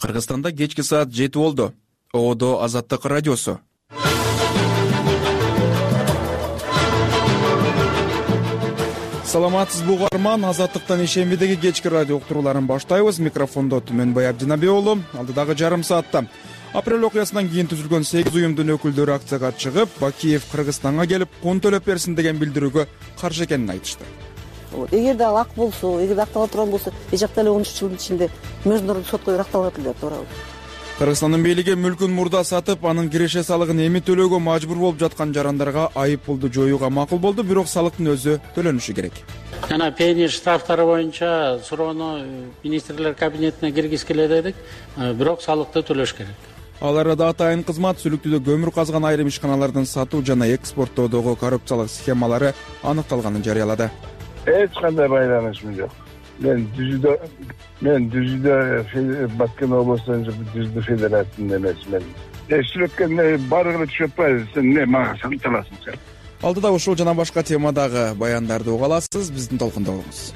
Кыргызстанда кечки саат 7 болду. ООД Азаттык радиосу. Саламатсызбы угарман, Азаттыктан ишембидеги кечки радио уктурууларын баштайбыз. Микрофондо Түмөнбай Абдинабиулу. Алдыдагы жарым саатта апрель окуясынан кийин түзүлгөн 8 уюмдун өкүлдөрү акцияга чыгып, Бакиев Кыргызстанга келип кон төлөп берсин деген билдирүүгө каршы экенин айтышты. Эгерде ал ак болсо, эгерде акталып турган болсо, эжакта эле 13 жылдын ичинде Международный сот коюп акталып эле туурабы? Кыргызстандын бийлиги мүлкүн мурда сатып, анын киреше салыгын эми төлөөгө мажбур болуп жаткан жарандарга айып пулду жоюуга макул болду, бирок салыктын өзү төлөнүшү керек. Жана пени штрафтары боюнча суроону министрлер кабинетине киргизип келет, бирок салыкты төлөш керек. Ал арада атайын кызмат Сүлүктүдө көмүр казган айрым ишканалардын сатуу жана экспорттоодогу коррупциялык схемалары аныкталганын жарыялады. Эч кандай байланышым жок. Мен Дүзүдө Баткен областын Дүзүдө федерациясында эмесмин. Сүрөткөн баардыгы түшүп атпайбы, сен эмне мага салып аласың сен? Алдыда ушул жана башка темадагы баяндарды уга аласыз, биздин толкунда болуңуз.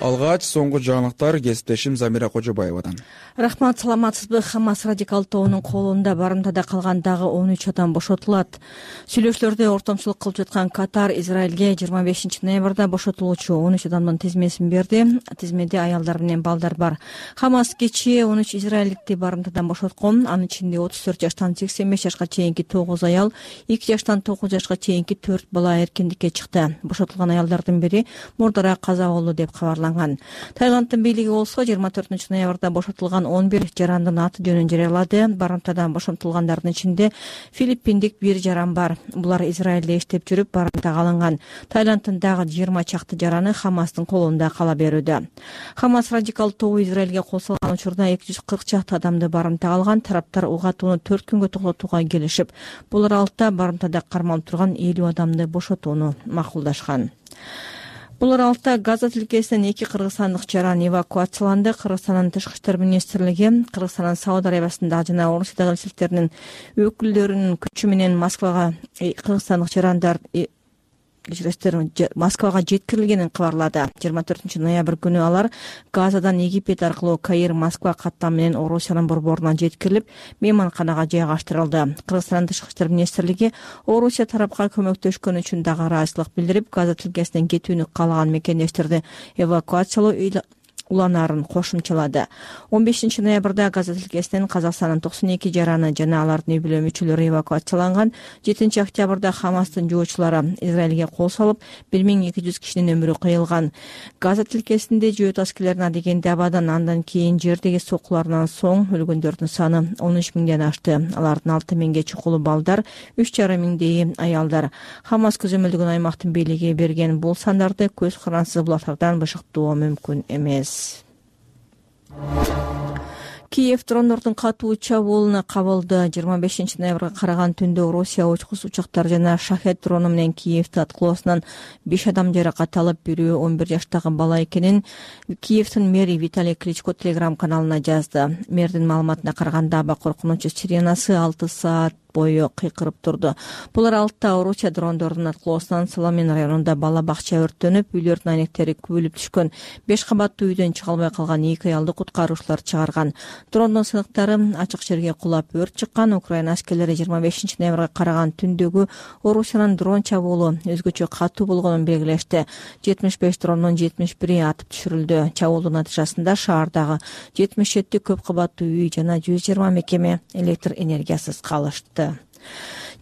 Алгач соңку жаңылыктар кесиптешим Замира Кожобаевадан. Рахмат, саламатсызбы? Хамас радикал тобунун колунда барымтада калган дагы 13 адам бошотулат. Сүйлөшүүлөрдө ортомчулук кылып жаткан Катар Израилге 25 ноябрда бошотулуучу 13 адамдын тизмесин берди. Тизмеде аялдар менен балдар бар. Хамас кечээ 13 израилдикти барымтадан бошоткон. Анын ичинде 34 жаштан 85 жашка чейинки 9 аял, 2 жаштан 9 жашка чейинки 4 бала эркиндикке чыкты. Бошотулган аялдардын бири мурдара каза болду деп кабарланган. Таиланддын бийлиги болсо 24 ноябрда бошотулган 11 жарандын аты жөнүн жарыялады. Барымтадан бошотулгандардын ичинде филиппиндик бир жаран бар. Булар Израилде иштеп жүрүп барымтага алынган. Таиланддын дагы 20 чакты жараны Хамастын колунда кала берүүдө. Хамас радикал тобу Израилге кол салган учурда 240 чакты адамды барымтага алган. Тараптар угатууну 4 күнгө токтотууга келишип, бул аралыкта барымтада кармалып турган 50 адамды бошотууну макулдашкан. Бул аралыкта Газа тилкесинен 2 кыргызстандык жаран эвакуацияланды. Кыргызстандын тышкы иштер министрлиги Кыргызстандын Сауд Арабиясындагы жана Орусиядагы элчиликтеринин өкүлдөрүнүн күчү менен Москвага кыргызстандык жарандар Москвага жеткирилгенин кабарлады. 24 ноябрь күнү алар Газадан Египет аркылуу Каир Москва каттам менен Орусиянын борборуна жеткирилип, мейманканага жайгаштырылды. Кыргызстандын тышкы иштер министрлиги Орусия тарапка көмөктөшкөн үчүн дагы ыраазычылык билдирип, Газа тилкесинен кетүүнү каалаган мекендештерди эвакуациялоо уланаарын кошумчалады. 15 ноябрда Газа тилкесинен Казакстандын 92 жараны жана алардын үй бүлө мүчөлөрү эвакуацияланган. 7 октябрда Хамастын жоочулары Израилге кол салып, 1200 кишинин өмүрү кыйылган. Газа тилкесинде жөөт аскерлерин дегенде абадан андан кийин жердеги сокуларынан соң өлгөндөрдүн саны 13 миңден ашты. Алардын 6 миңге чукулу балдар, 3,5 миңдейи аялдар. Хамас көзөмөлдөгөн аймактын бийлиги берген бул сандарды көз карансыз булактардан бышыктоо мүмкүн эмес. Киев дрондордун катуу чабуулуна кабылды. 25 ноябрга караган түндө Россия учкус учактары жана шахет дрону менен Киевди аткылоосунан 5 адам жаракат алып, бирөө 11 жаштагы бала экенин Киевдин мэри Виталий Кличко телеграм каналына жазды. Мэрдин маалыматына караганда аба коркунучу сиренасы 6 саат бою кыйкырып турду. Бул аралыкта Орусия дрондордун аткылоосунан Соломин районунда бала бакча өрттөнүп, үйлөрдүн айнектери күбөлүп түшкөн. 5 кабаттуу үйдөн чыга албай калган 2 аялды куткаруучулар чыгарган. Дрондун сыйныктары ачык жерге кулап өрт чыккан. Украина аскерлери 25 ноябрга караган түндөгү Орусиянын дрон чабуулу өзгөчө катуу болгонун белгилешти. 75 дрондун 71 атып түшүрүлдү. Чабуулдун натыйжасында шаардагы 77 көп кабаттуу үй жана 120 мекеме электр энергиясыз калышты.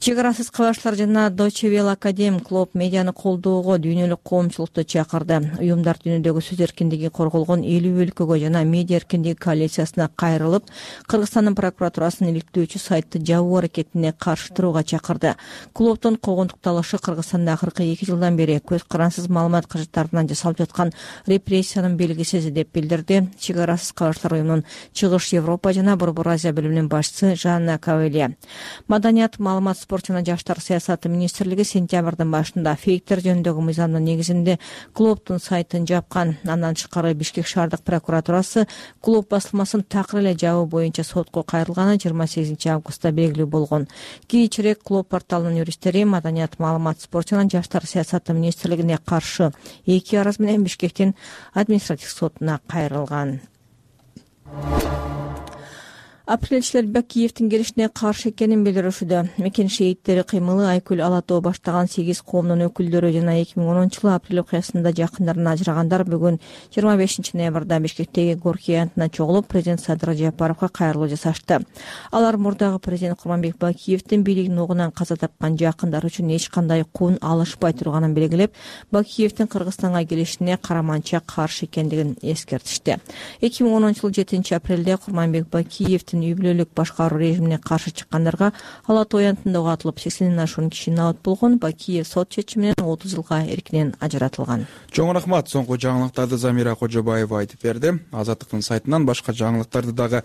Чек арасыз кабарчылар жана Deutsche Welle Академ Клуб медианы колдоого дүйнөлүк коомчулукту чакырды. Уюмдар дүйнөдөгү сөз эркиндиги корголгон 50 өлкөгө жана медиа эркиндиги коалициясына кайрылып, Кыргызстандын прокуратурасынын иликтөөчү сайтты жабуу аракетине каршы турууга чакырды. Клубдун когонтукталышы Кыргызстанда акыркы 2 жылдан бери көз карансыз маалымат каражаттарынан жасалып жаткан репрессиянын белгисизи деп билдирди. Чек арасыз кабарчылар уюмунун Чыгыш Европа жана Борбор Азия бөлүмүнүн башчысы Жанна Кавелия. Маданият, маалымат спорт жана жаштар саясаты министрлиги сентябрдын башында фейктер жөнүндөгү мыйзамдын негизинде клубдун сайтын жапкан. Андан тышкары Бишкек шаардык прокуратурасы клуб басылмасын такыр эле жабуу боюнча сотко кайрылганы 28 августта белгилүү болгон. Кийинчерээк клуб порталынын юристтери маданият, маалымат, спорт жана жаштар саясаты министрлигине каршы 2 арыз менен Бишкектин административдик сотуна кайрылган. Апрелчилер Бакиевдин келишине каршы экенин билдиришүүдө. Мекен шейиттери кыймылы Айкүл Алатоо баштаган 8 коомдун өкүлдөрү жана 2010-жылы апрель окуясында жакындарынан ажырагандар бүгүн 25 ноябрда Бишкектеги Горький аянтына чогулуп, президент Садыр Жапаровго кайрылуу жасашты. Алар мурдагы президент Курманбек Бакиевдин бийлигин огунан каза тапкан жакындары үчүн эч кандай кун алышпай турганын белгилеп, Бакиевдин Кыргызстанга келишине караманча каршы экендигин эскертишти. 2010-жылы 7 апрелде Курманбек Бакиевдин үй бүлөлүк башкаруу режимине каршы чыккандарга Алатоо аянтында атылып 80ден ашуун киши набат болгон. Бакиев сот чечими менен 30 жылга эркинен ажыратылган. Чоң рахмат. Соңку жаңылыктарды Замира Кожобаева айтып берди. Азаттыктын сайтынан башка жаңылыктарды дагы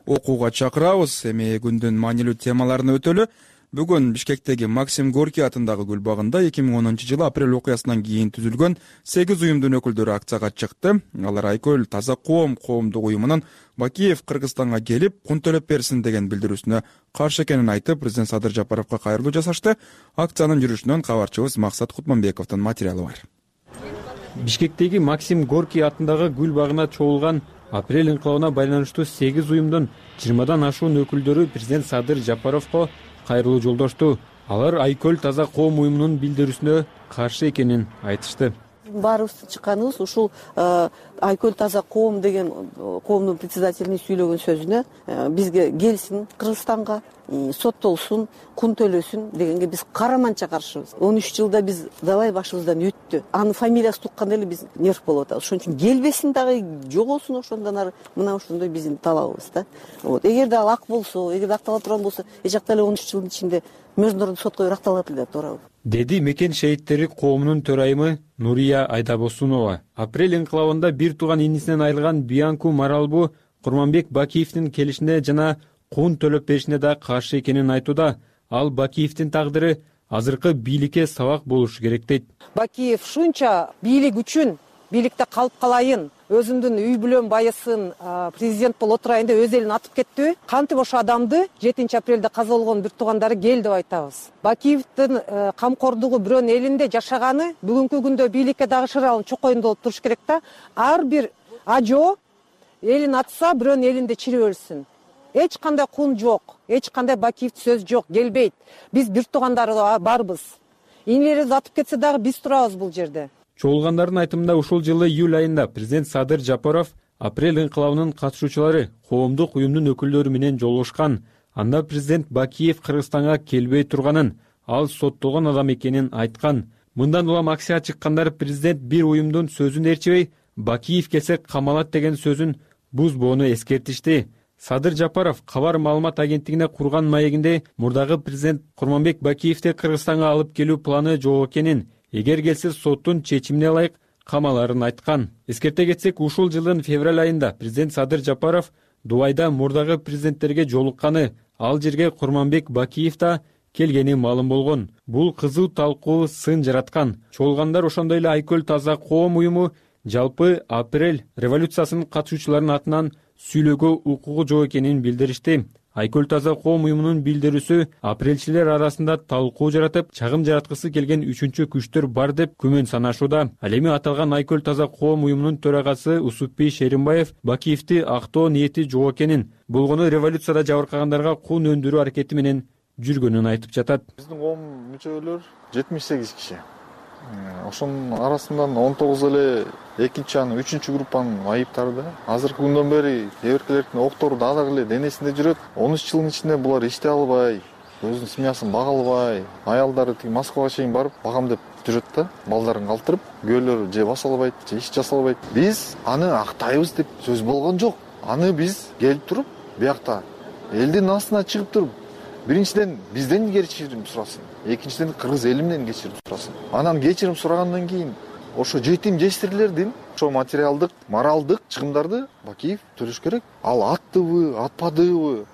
окууга чакырабыз. Эми күндүн маанилүү темаларына өтөлү. Бүгүн Бишкектеги Максим Горький атындагы гүл багында 2010-жылы апрель окуясынан кийин түзүлгөн 8 уюмдун өкүлдөрү акцияга чыкты. Алар Айкөл Таза коомдук уюмунун Бакиев Кыргызстанга келип, кун төлөп берсин деген билдирүүсүнө каршы экенин айтып, президент Садыр Жапаровго кайрылуу жасашты. Акциянын жүрүшүнөн кабарчыбыз Максат Кутманбековдун материалы бар. Бишкектеги Максим Горький атындагы гүл багына чогулган апрель инкылабына байланыштуу 8 уюмдун 20дан ашуун өкүлдөрү президент Садыр Жапаровго кайрылуу жолдошту. Алар Айкөл Таза коом уюмунун билдирүүсүнө каршы экенин айтышты. Баарыбыз чыкканыбыз ушул Айкөл Таза коом деген коомдун председателинин сүйлөгөн сөзүнө бизге келсин Кыргызстанга, соттолсун, кун төлөсүн дегенге биз караманча каршыбыз. 13 жылда биз далай башыбыздан өттү. Анын фамилиясы тукканда эле биз нерв болуп атабыз. Ошон үчүн келбесин дагы, жогосун ошондон ары. Мына ошондой биздин талабыбыз да. Эгерде ал ак болсо, эгерде актала турган болсо, эч жакта эле 13 жылдын ичинде международдук сотко биракталат эле, туура. Деди мекен шейиттери коомунун төрайымы Нурия Айдабосунова. Апрель инкылабында бир тууган инисинен айрылган Бианку Маралбу Курманбек Бакиевдин келишине жана кун төлөп беришине да каршы экенин айтууда. Ал Бакиевдин тагдыры азыркы бийликке сабак болушу керек дейт. Бакиев шунча бийлик үчүн бийликте калып калайын, өзүмдүн үй бүлөм байысын, президент болуп отурайын деп өз элин атып кетти. Кантип ошо адамды 7 апрелде каза болгон бир туугандары кел деп айтабыз. Бакиевдин камкордугу бирөөнүн элинде жашаганы бүгүнкү күндө бийликке дагы шыралын чокоюнда болуп туруш керек да. Ар бир ажо элин атса бирөөнүн элинде чирип өлсүн. Эч кандай кун жок, эч кандай Бакиевдин сөз жок, келбейт. Биз бир туугандары барбыз. Инилерибиз атып кетсе дагы биз турабыз бул жерде. Чогулгандардын айтымында ушул жылы июль айында президент Садыр Жапаров апрель инкылабынын катышуучулары коомдук уюмдун өкүлдөрү менен жолугушкан. Анда президент Бакиев Кыргызстанга келбей турганын, ал соттолгон адам экенин айткан. Мындан улам акцияга чыккандар президент бир уюмдун сөзүн ээрчибей, Бакиев келсе камалат деген сөзүн бузбоону эскертишти. Садыр Жапаров кабар маалымат агенттигине курган маегинде мурдагы президент Курманбек Бакиевди Кыргызстанга алып келүү планы жок экенин, эгер келсе соттун чечимине ылайык камаларын айткан. Эскерте кетсек, ушул жылдын февраль айында президент Садыр Жапаров Дубайда мурдагы президенттерге жолукканы, ал жерге Курманбек Бакиев да келгени маалым болгон. Бул кызуу талкуу сын жараткан. Чогулгандар ошондой эле Айкөл Таза коом уюму жалпы апрель революциясынын катышуучуларынын атынан сүйлөөгө укугу жок экенин билдиришти. Айкөл Таза коом уюмунун билдирүүсү апрелчилер арасында талкуу жаратып, чагым жараткысы келген үчүнчү күчтөр бар деп күмөн санашууда. Ал эми аталган Айкөл Таза коом уюмунун төрагасы Усупбий Шеримбаев Бакиевди актоо ниети жок экенин, болгону революцияда жабыркагандарга кун өндүрүү аракети менен жүргөнүн айтып жатат. Биздин коом мүчөлөр 78 киши. Ошонун арасынан 19 эле экинчи анын 3-чү группанын айыптары да. Азыркы күндөн бери кээ-биркилердин октору дагы эле денесинде жүрөт. 13 жылдын ичинде булар иштей албай, өзүнүн семьясын бага албай, аялдары тиги Москвага чейин барып багам деп жүрөт да, балдарын калтырып, күйөөлөрү же баса албайт, же иш жасай албайт. Биз аны актайбыз деп сөз болгон жок. Аны биз келип туруп, биякта элдин астына чыгып туруп, биринчиден бизден кечирим сурасын, экинчиден кыргыз элинен кечирим сурасын. Анан кечирим сурагандан кийин ошо жетим жесирлердин ошо материалдык, моралдык чыгымдарды Бакиев төлөш керек. Ал аттыбы, атпадыбы,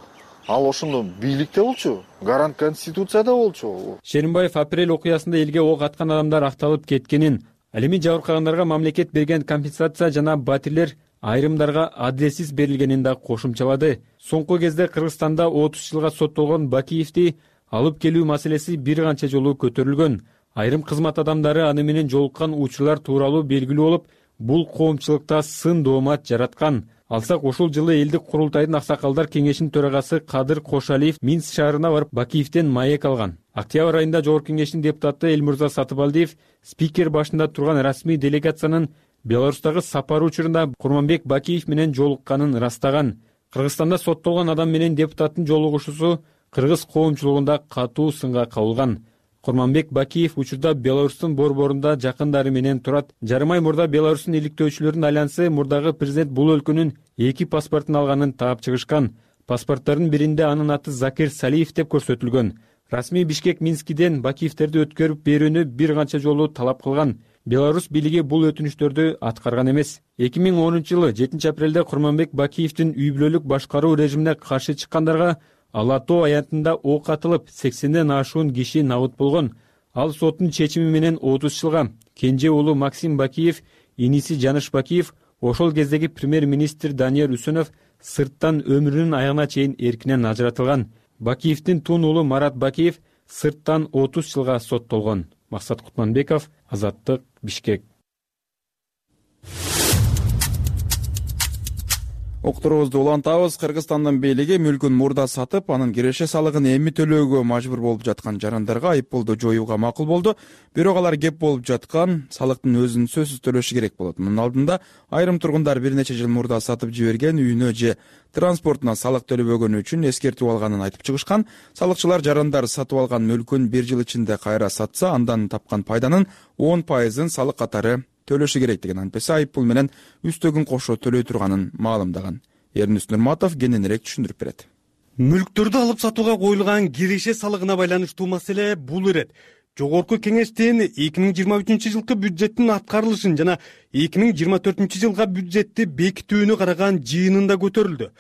ал ошондо бийликте болчу, гарант конституцияда болчу. Шеримбаев апрель окуясында элге ок аткан адамдар акталып кеткенин, ал эми жабыркагандарга мамлекет берген компенсация жана батирлер айрымдарга адилетсиз берилгенин да кошумчалады. Соңку кезде Кыргызстанда 30 жылга соттолгон Бакиевди алып келүү маселеси бир канча жолу көтөрүлгөн. Айрым кызмат адамдары аны менен жолуккан учурлар тууралуу белгилүү болуп, бул коомчулукта сын доомат жараткан. Алсак ушул жылы элдик курултайдын аксакалдар кеңешинин төрагасы Кадыр Кошалиев Минск шаарына барып Бакиевден маек алган. Октябрь айында Жогорку кеңештин депутаты Элмурза Сатыбалдиев спикер башында турган расмий делегациянын Беларустагы сапары учурунда Курманбек Бакиев менен жолукканын растаган. Кыргызстанда соттолгон адам менен депутаттын жолугушуусу кыргыз коомчулугунда катуу сынга кабылган. Курманбек Бакиев учурда Беларустун борборунда жакындары менен турат. Жарым ай мурда Беларустун иликтөөчүлөрүнүн альянсы мурдагы президент бул өлкөнүн 2 паспортун алганын таап чыгышкан. Паспорттардын биринде анын аты Закир Салиев деп көрсөтүлгөн. Расмий Бишкек Минскиден Бакиевтерди өткөрүп берүүнү бир канча жолу талап кылган. Беларусь бийлиги бул өтүнүштөрдү аткарган эмес. 2010-жылы 7 апрелде Курманбек Бакиевдин үй бүлөлүк башкаруу режимине каршы чыккандарга Ала-Тоо аянтында ок атылып, 80ден ашуун киши набыт болгон. Ал соттун чечими менен 30 жылга, кенже уулу Максим Бакиев, иниси Жаныш Бакиев, ошол кездеги премьер-министр Данияр Үсөнов сырттан өмүрүнүн аягына чейин эркинен ажыратылган. Бакиевдин тун уулу Марат Бакиев сырттан 30 жылга соттолгон. Максат Кутманбеков, Азаттык, Бишкек. Окторубузду улантабыз. Кыргызстандын бийлиги мүлкүн мурда сатып, анын киреше салыгын эми төлөөгө мажбур болуп жаткан жарандарга айыппулду жоюуга макул болду. Бирок алар кеп болуп жаткан салыктын өзүн сөзсүз төлөшү керек болот. Мунун алдында айрым тургундар бир нече жыл мурда сатып жиберген үйүнө же транспортуна салык төлөбөгөнү үчүн эскертүү алганын айтып чыгышкан. Салыкчылар жарандар сатып алган мүлкүн 1 жыл ичинде кайра сатса, андан тапкан пайданын 10% салык катары төлөшү керек деген антпесе айыппул менен үстөгүн кошо төлөй турганын маалымдаган. Эрнис Нурматов кененирээк түшүндүрүп берет. Мүлктөрдү алып сатууга коюлган киреше салыгына байланыштуу маселе бул ирет. Жогорку кеңештин 2023-жылкы бюджеттин аткарылышын жана 2024-жылга бюджетти бекитүүнү караган жыйынында көтөрүлдү.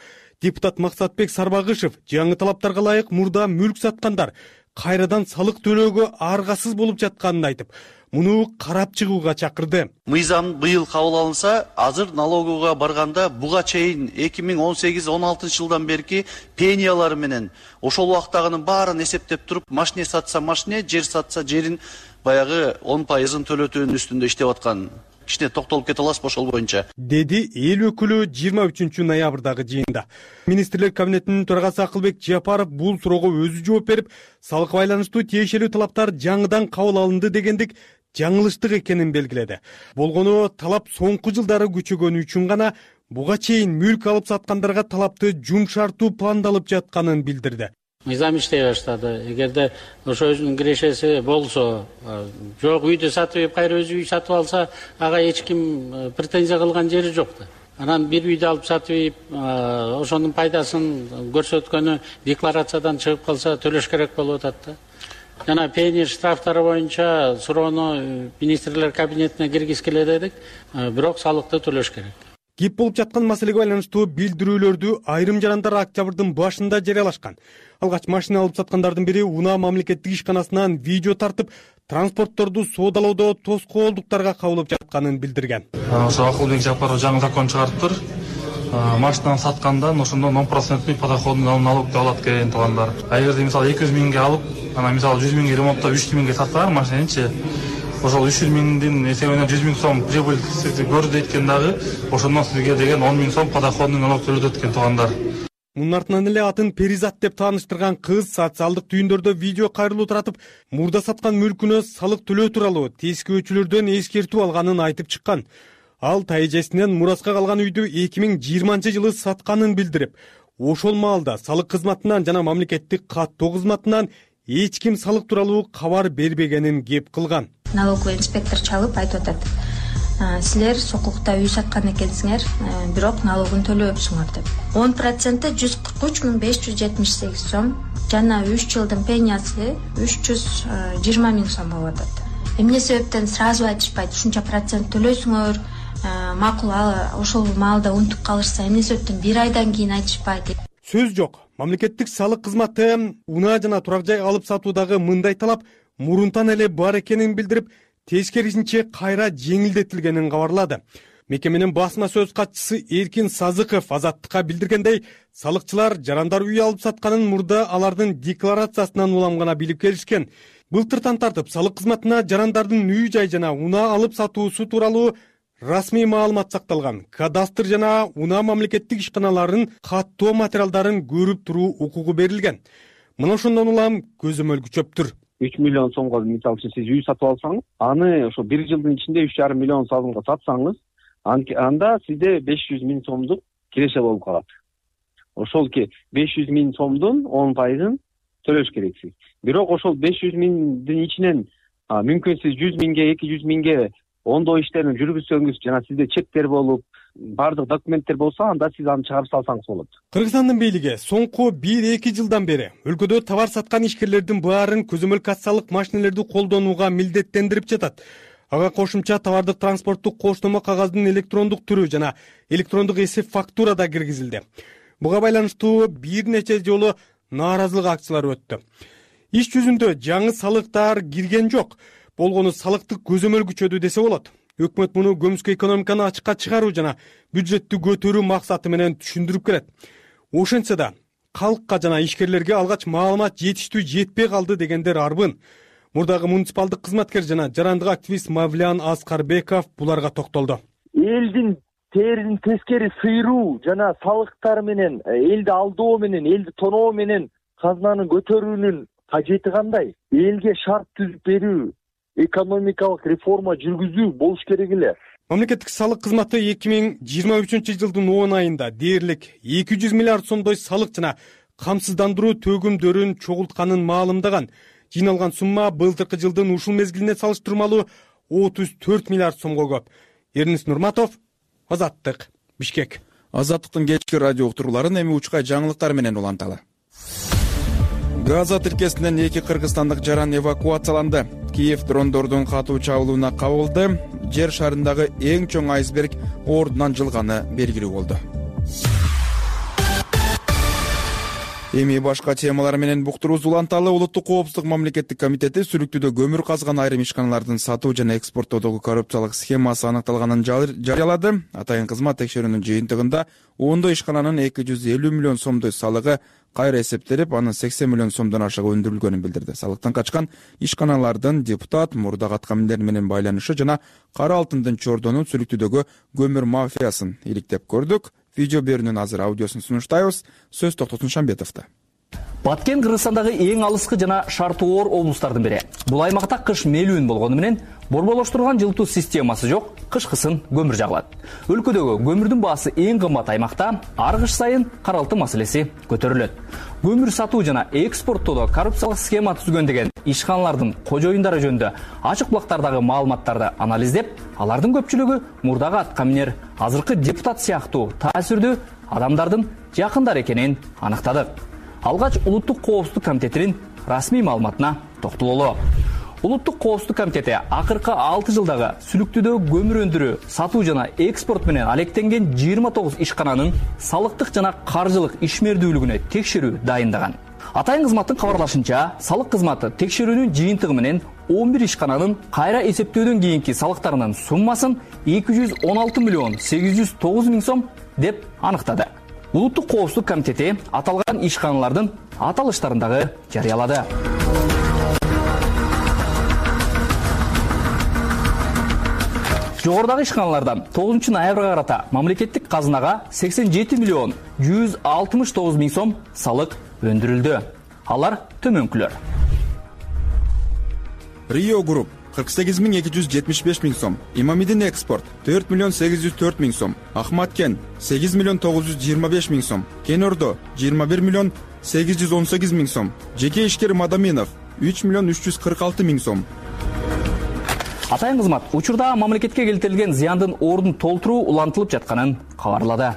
Депутат Максатбек Сарбагышев жаңы талаптарга ылайык мурда мүлк саткандар кайрадан салык төлөөгө аргасыз болуп жатканын айтып, муну карап чыгууга чакырды. Мыйзам быйыл кабыл алынса, азыр налоговга барганда буга чейин 2018-16 жылдан берки пениялары менен ошол убактагынын баарын эсептеп туруп, машине сатса машине, жер сатса жерин баягы 10%-ын төлөтүүнүн үстүндө иштеп аткан. Кичине токтолуп кете аласызбы ошол боюнча? Деди эл өкүлү 23-ноябрдагы жыйында. Министрлер кабинетинин төрагасы Акылбек Жапаров бул суроого өзү жооп берип, салыкка байланыштуу тиешелүү талаптар жаңыдан кабыл алынды дегендик жаңылыштык экенин белгиледи. Болгону талап соңку жылдары күчөгөнү үчүн гана буга чейин мүлк алып саткандарга талапты жумшартуу пландалып жатканын билдирди. Мыйзам иштей баштады. Эгерде ошо өзүнүн кирешеси болсо, жок үйдү сатып, кайра өзү үй сатып алса, ага эч ким претензия кылган жери жок да. Анан бир үйдү алып сатып, ошонун пайдасын көрсөткөнү декларациядан чыгып калса, төлөш керек болуп атат да. Жана пени штрафтары боюнча суроону министрлер кабинетине киргизгиле дедик, бирок салыкты төлөш керек. Кеп болуп жаткан маселеге байланыштуу билдирүүлөрдү айрым жарандар октябрдын башында жарыялашкан. Алгач машина алып саткандардын бири Унаа мамлекеттик ишканасынан видео тартып, транспортторду соодалоодо тоскоолдуктарга кабылып жатканын билдирген. Ошо Акылбек Жапаров жаңы закон чыгарыптыр. Машинаны саткандан ошондон 10% подоходный налог деп алат экен туугандар. Эгерде мисалы 200 миңге алып, анан мисалы 100 миңге ремонттоп 300 миңге сатсалар машинанычы, ошол 300 миңдин эсебинен 100 миң сом прибыль көрдү экен дагы, ошондон сизге деген 10 миң сом подоходный налог төлөтөт экен туугандар. Мунун артынан эле атын Перизат деп тааныштырган кыз социалдык түйүндөрдө видео кайрылуу таратып, мурда саткан мүлкүнө салык төлөө тууралуу тескөөчүлөрдөн эскертүү алганын айтып чыккан. Ал тайэжесинен мураска калган үйдү 2020-жылы сатканын билдирип, ошол маалда салык кызматынан жана мамлекеттик каттоо кызматынан эч ким салык тууралуу кабар бербегенин кеп кылган. Налоговый инспектор чалып айтып атат: силер сокулукта үй саткан экенсиңер, бирок налогун төлөбөпсүңөр деп. 10% 143.578 сом жана 3 жылдын пениясы 320 миң сом болуп атат. Эмне себептен сразу айтышпайт, ушунча процент төлөйсүңөр, макул ошол маалда унутуп калышса эмне себептен 1 айдан кийин айтышпайт. сөз жок. Мамлекеттик салык кызматы унаа жана турак жай алып сатуудагы мындай талап мурунтан эле бар экенин билдирип, тескерисинче кайра жеңилдетилгенин кабарлады. Мекеменин басма сөз катчысы Эркин Сазыков Азаттыкка билдиргендей, салыкчылар жарандар үй алып сатканын мурда алардын декларациясынан улам гана билип келишкен. Былтыртан тартып салык кызматына жарандардын үй жай жана унаа алып сатуусу тууралуу расмий маалымат сакталган. Кадастр жана унаа мамлекеттик ишканаларынын каттоо материалдарын көрүп туруу укугу берилген. Мына ошондон улам көзөмөл күчөптүр. 3 миллион сомго мисалы үчүн сиз үй сатып алсаңыз, аны ошо 1 жылдын ичинде 3,5 миллион сомго сатсаңыз, анда сизде 500 миң сомдук киреше болуп калат. Ошол 500 миң сомдун 10% төлөш керексиз. Бирок ошол 500 миңдин ичинен мүмкүн сиз 100 миңге, 200 миңге ондоо иштерин жүргүзсөңүз жана сизде чектер болуп, бардык документтер болсо, анда сиз аны чыгарып салсаңыз болот. Кыргызстандын бийлиги соңку 1-2 жылдан бери өлкөдө товар саткан ишкерлердин баарын көзөмөл кассалык машинелерди колдонууга милдеттендирип жатат. Ага кошумча товардык транспорттук коштомо кагаздын электрондук түрү жана электрондук эсеп фактура да киргизилди. Буга байланыштуу бир нече жолу нааразылык акциялары өттү. Иш жүзүндө жаңы салыктар кирген жок. Болгону салыктык көзөмөл күчөдү десе болот. Өкмөт муну көмүскө экономиканы ачыкка чыгаруу жана бюджеттти көтөрүү максаты менен түшүндүрүп келет. Ошентсе да калкка жана ишкерлерге алгач маалымат жетиштүү жетпей калды дегендер арбын. Мурдагы муниципалдык кызматкер жана жарандык активист Мавлян Аскарбеков буларга токтолду. Элдин терин тескери сыйруу жана салыктар менен, элди алдоо менен, элди тоноо менен казынаны көтөрүүнүн кажети кандай? Элге шарт түзүп берүү, экономикалык реформа жүргүзүү болуш керек эле. Мамлекеттик салык кызматы 2023 жылдын 10 айында дээрлик 200 миллиард сомдой салык жана камсыздандыруу төгүмдөрүн чогултканын маалымдаган. Жыйналган сумма былтыркы жылдын ушул мезгилине салыштырмалуу 34 миллиард сомго көп. Эрнис Нурматов, Азаттык, Бишкек. Азаттыктын кечки радио уктурууларын эми учкай жаңылыктар менен уланталы. Газа тилкесинен 2 кыргызстандык жаран эвакуацияланды. Киев дрондордун катуу чабуулуна кабылды. Жер шарындагы эң чоң айсберг ордунан жылганы белгилүү болду. Эми башка темалар менен буктурубузду уланталы. Улуттук коопсуздук мамлекеттик комитети сүлүктүүдө көмүр казган айрым ишканалардын сатуу жана экспорттоодогу коррупциялык схемасы аныкталганын жарыялады. Атайын кызмат текшерүүнүн жыйынтыгында ондой ишкананын 250 миллион сомдой салыгы кайра эсептелип, анын 80 миллион сомдон ашыгы өндүрүлгөнүн билдирди. Салыктан качкан ишканалардын депутат, мурдагы аткаминдер менен байланышы жана кара алтындын чордонун сүлүктүүдөгү көмүр мафиясын иликтеп көрдүк. Видео берүүнүн азыр аудиосун сунуштайбыз. Сөз Токтотун Шамбетовдо. Баткен Кыргызстандагы эң алыскы жана шарты оор облустардын бири. Бул аймакта кыш мелүүн болгону менен борболоштурган жылытуу системасы жок, кышкысын көмүр жагылат. Өлкөдөгү көмүрдүн баасы эң кымбат аймакта ар кыш сайын кара алтын маселеси көтөрүлөт. Көмүр сатуу жана экспорттоодо коррупциялык схема түзгөн деген ишканалардын кожоюндары жөнүндө ачык булактардагы маалыматтарды анализдеп, алардын көпчүлүгү мурдагы аткаминер, азыркы депутат сыяктуу таасирдүү адамдардын жакындары экенин аныктадык. Алгач Улуттук коопсуздук комитетинин расмий маалыматына токтололу. Улуттук коопсуздук комитети акыркы 6 жылдагы сүлүктүүдө көмүр өндүрүү, сатуу жана экспорт менен алектенген 29 ишкананын салыктык жана каржылык ишмердүүлүгүнө текшерүү дайындаган. Атайын кызматтын кабарлашынча, салык кызматы текшерүүнүн жыйынтыгы менен 11 ишкананын кайра эсептөөдөн кийинки салыктарынын суммасын 216 миллион 809 миң сом деп аныктады. Улуттук коопсуздук комитети аталган ишканалардын аталыштарын дагы жарыялады. Жогорудагы ишканалардан 9 ноябрга карата мамлекеттик казынага 87 миллион 169 миң сом салык өндүрүлдү. Алар төмөнкүлөр. Rio Group 48.275 миң сом, Имамидин экспорт 4 миллион 804 миң сом, Ахматкен 8 миллион 925 миң сом, Кенордо 21 миллион 818 миң сом, жеке ишкер Мадаминов 3 миллион 346 миң сом. Атайын кызмат учурда мамлекетке келтирилген зыяндын ордун толтуруу улантылып жатканын кабарлады.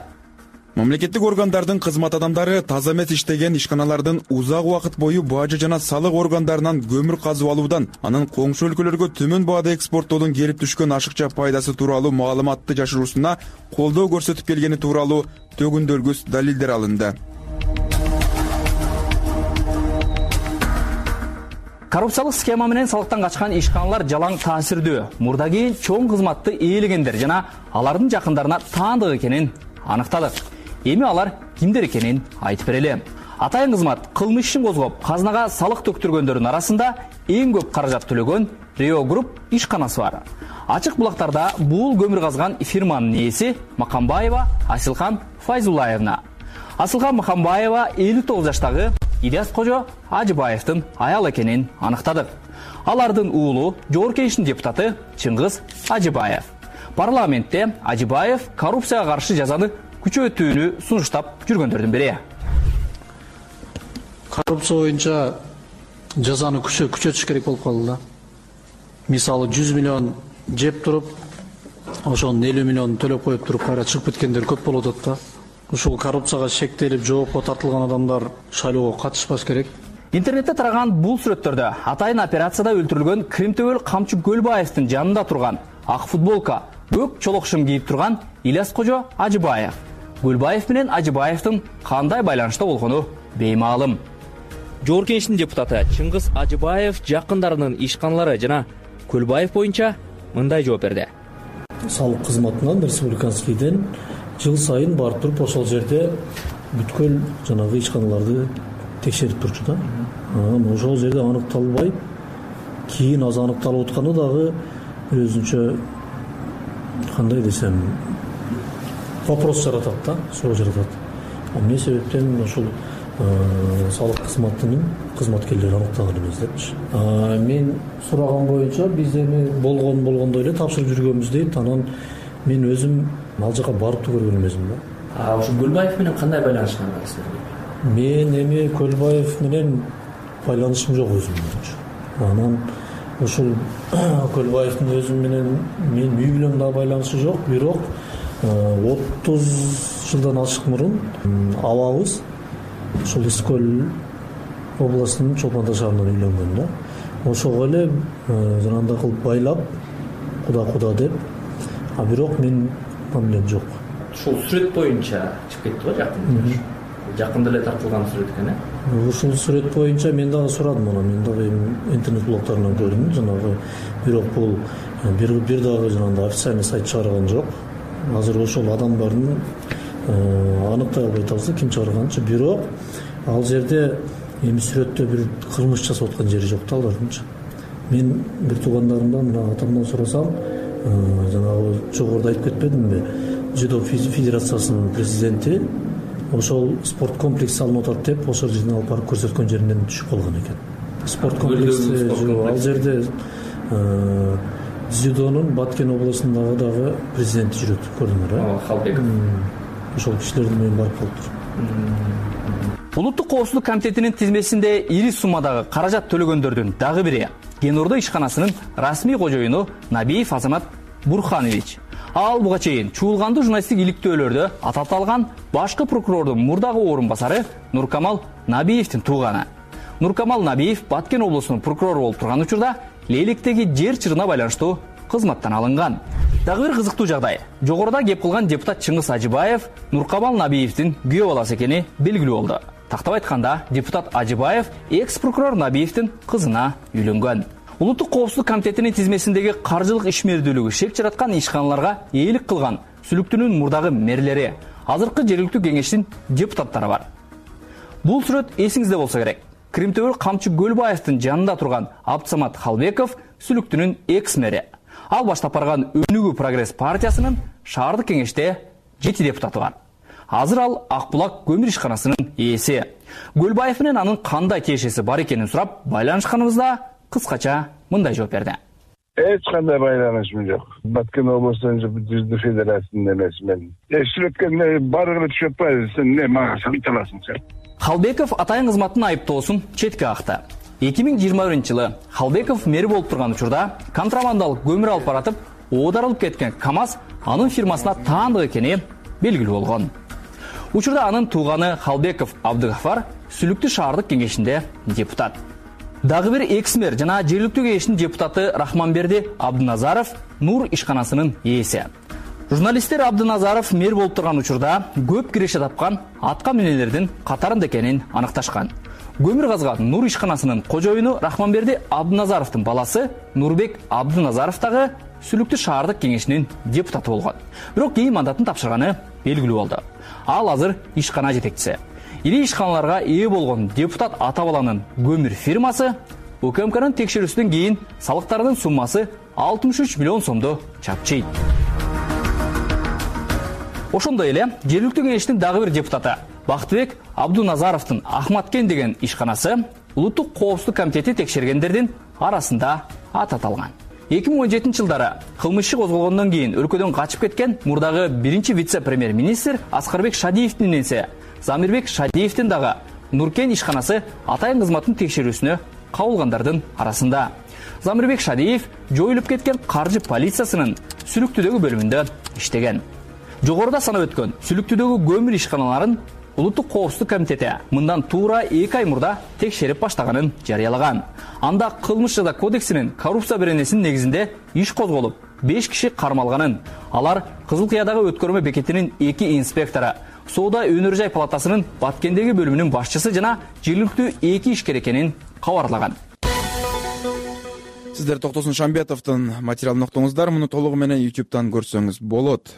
Мамлекеттик органдардын кызмат адамдары таза эмес иштеген ишканалардын узак убакыт бою бажы жана салык органдарынан көмүр казып алуудан, анын коңшу өлкөлөргө төмөн баада экспорттоодон келип түшкөн ашыкча пайдасы тууралуу маалыматты жашыруусуна колдоо көрсөтүп келгени тууралуу төгүндөлгүс далилдер алынды. коррупциялык схема менен салыктан качкан ишканалар жалаң таасирдүү, мурда кийин чоң кызматты ээлегендер жана алардын жакындарына таандык экенин аныктадык. Эми алар кимдер экенин айтып берели. Атайын кызмат кылмыш ишин козгоп, казынага салык төктүргөндөрдүн арасында эң көп каражат төлөгөн Rio Group ишканасы бар. Ачык булактарда бул көмүр казган фирманын ээси Макамбаева Асилхан Файзуллаевна. Асылхан Макамбаева 59 жаштагы Ильяс Кожо Ажыбаевдин аял экенин аныктадык. Алардын уулу Жогорку Кеңештин депутаты Чыңгыз Ажыбаев. Парламентте Ажыбаев коррупцияга каршы жазаны күчөтүүнү сунуштап жүргөндөрдүн бири. Коррупция боюнча жазаны күчөтүш керек болуп калды да. Мисалы 100 миллион жеп туруп, ошонун 50 миллионун төлөп коюп туруп кайра чыгып кеткендер көп болуп атат да. Ушул коррупцияга шектелип, жоопко тартылган адамдар шайлоого катышпаш керек. Интернетте тараган бул сүрөттөрдө атайын операцияда өлтүрүлгөн Кримтөбөл Камчы Көлбаевдин жанында турган ак футболка, көк чолокшум кийип турган Ильяс Кожо Ажыбаев. Көлбаев менен Ажыбаевдин кандай байланышта болгону беймаалым. Жогорку Кеңештин депутаты Чыңгыз Ажыбаев жакындарынын ишканалары жана Көлбаев боюнча мындай жооп берди. Салык кызматынан республиканскийден жыл сайын барып туруп ошол жерде бүткүл жанагы ишканаларды текшерип турчу да. Ошол жерде аныкталбай, кийин аз аныкталып атканы дагы өзүнчө кандай десем вопрос жаратат да, суроо жаратат. Эмне себептен ошол салык кызматынын кызматкерлери аныктаган эмес депчи. Мен сураган боюнча биз эми болгондой эле тапшырып жүргөнбүз дейт. Анан мен өзүм ал жака барып көргөн эмесмин да. Ошо Көлбаев менен кандай байланышкан силер? Мен эми Көлбаев менен байланышым жок өзүмдүн. Анан ушул Көлбаевдин өзү менен мен үй бүлөм дагы байланышы жок, бирок 30 жылдан ашык мурун абабыз ушул Искөл областынын Чолпон шаарынан үйлөнгөн да. Ошого эле жанагындай кылып байлап, куда деп. Бирок мен мамилем жок. Ушул сүрөт боюнча чыгып кетти го жакында. Жакында эле тартылган сүрөт экен, э? Ушул сүрөт боюнча мен дагы сурадым, мен дагы интернет блогтарынан көрдүм, жанагы. Бирок бул бир дагы жанагындай официальный сайт чыгарган жок. Азыр ошол адамдардын аныктай албай атабыз ким чыгарганчы. Бирок ал жерде эми сүрөттө бир кылмыш жасап аткан жери жок да алардынчы. Мен бир туугандарымдан, мына атамдан сурасам, жанагы жогоруда айтып кетпедимби? Дзюдо федерациясынын президенти ошол спорт комплекс салынып атат деп, ошол жерден алып барып көрсөткөн жеринен түшүп калган экен. Спорт комплекси ал жерде дзюдонун Баткен областындагы дагы президенти жүрөт, көрдүңөр, э? Халбеков. Ошол кишилердин менен барып калыптыр. Улуттук коопсуздук комитетинин тизмесинде ири суммадагы каражат төлөгөндөрдүн дагы бири Кен-Ордо ишканасынын расмий кожоюну Набиев Азамат Бурханович. Ал буга чейин чуулгандуу журналисттик иликтөөлөрдө аталган башкы прокурордун мурдагы орун басары Нуркамал Набиевдин тууганы. Нуркамал Набиев Баткен облусунун прокурору болуп турган учурда Лейликтеги жер чырына байланыштуу кызматтан алынган. Дагы бир кызыктуу жагдай. Жогоруда кеп кылган депутат Чыңгыз Ажыбаев Нуркамал Набиевдин күйөө баласы экени белгилүү болду. Тактап айтканда, депутат Ажыбаев экс-прокурор Набиевдин кызына үйлөнгөн. Улуттук коопсуздук комитетинин тизмесиндеги каржылык ишмердүүлүгү шек жараткан ишканаларга ээлик кылган сүлүктүнүн мурдагы мэрлери, азыркы жергиликтүү кеңештин депутаттары бар. Бул сүрөт эсиңизде болсо керек. Кримтөбөл Камчы Көлбаевдин жанында турган Абдсамат Халбеков сүлүктүнүн экс-мэри. Ал баштап барган Өнүгүү прогресс партиясынын шаардык кеңеште 7 депутаты бар. Азыр ал Акбулак көмүр ишканасынын ээси. Көлбаев менен анын кандай тиешеси бар экенин сурап, байланышканыбызда кыскача мындай жооп берди. Эч кандай байланышым жок. Баткен областынын Жүздүү федерациясынын эмесимен. Сүрөткө барыгы түшүп атпайбы, сен эмне мага айталасың сен? Халбеков атайын кызматтын айыптоосун четке акты. 2021-жылы Халбеков мэр болуп турган учурда контрабандалык көмүр алып баратып, оодарылып кеткен КАМАЗ анын фирмасына таандык экени белгилүү болгон. Учурда анын тууганы Халбеков Абдыгафар Сүлүктүү шаардык кеңешинде депутат. Дагы бир экс-мэр жана жергиликтүү кеңештин депутаты Рахманберди Абдыназаров Нур ишканасынын ээси. Журналисттер Абдыназаров мэр болуп турган учурда көп киреше тапкан атка минелердин катарында экенин аныкташкан. көмүр казган Нур ишканасынын кожоюну Рахманберди Абдыназаровдун баласы Нурбек Абдыназаров дагы Сүлүктүү шаардык кеңешинин депутаты болгон. Бирок кийин мандатын тапшырганы белгилүү болду. Ал азыр ишкана жетекчиси. Ири ишканаларга ээ болгон депутат ата баланын көмүр фирмасы УКМКнын текшерүүсүнөн кийин салыктардын суммасы 63 миллион сомду чапчыйт. Ошондой эле жергиликтүү кеңештин дагы бир депутаты Бактыбек Абдуназаровдун Ахматкен деген ишканасы Улуттук коопсуздук комитети текшергендердин арасында ат аталган. 2017 жылдары кылмыш иши козголгондон кийин өлкөдөн качып кеткен мурдагы биринчи вице-премьер-министр Аскарбек Шадиевдин ненеси Замирбек Шадиевдин дагы Нуркен ишканасы атайын кызматтын текшерүүсүнө кабылгандардын арасында. Замирбек Шадиев жоюлуп кеткен каржы полициясынын Сүлүктүүдөгү бөлүмүндө иштеген. Жогоруда санап өткөн Сүлүктүүдөгү көмүр ишканаларын Улуттук коопсуздук комитети мындан туура 2 ай мурда текшерип баштаганын жарыялаган. Анда кылмыш жаза кодексинин коррупция беренесинин негизинде иш козголуп, 5 киши кармалганын, алар Кызыл Кыядагы өткөрмө бекетинин 2 инспектору, Соода өнөр жай палатасынын Баткендеги бөлүмүнүн башчысы жана жергиликтүү 2 ишкер экенин кабарлаган. Сиздер Токтосун Шамбетовдун материалын уктуңуздар. Муну толугу менен YouTube'дан көрсөңүз болот.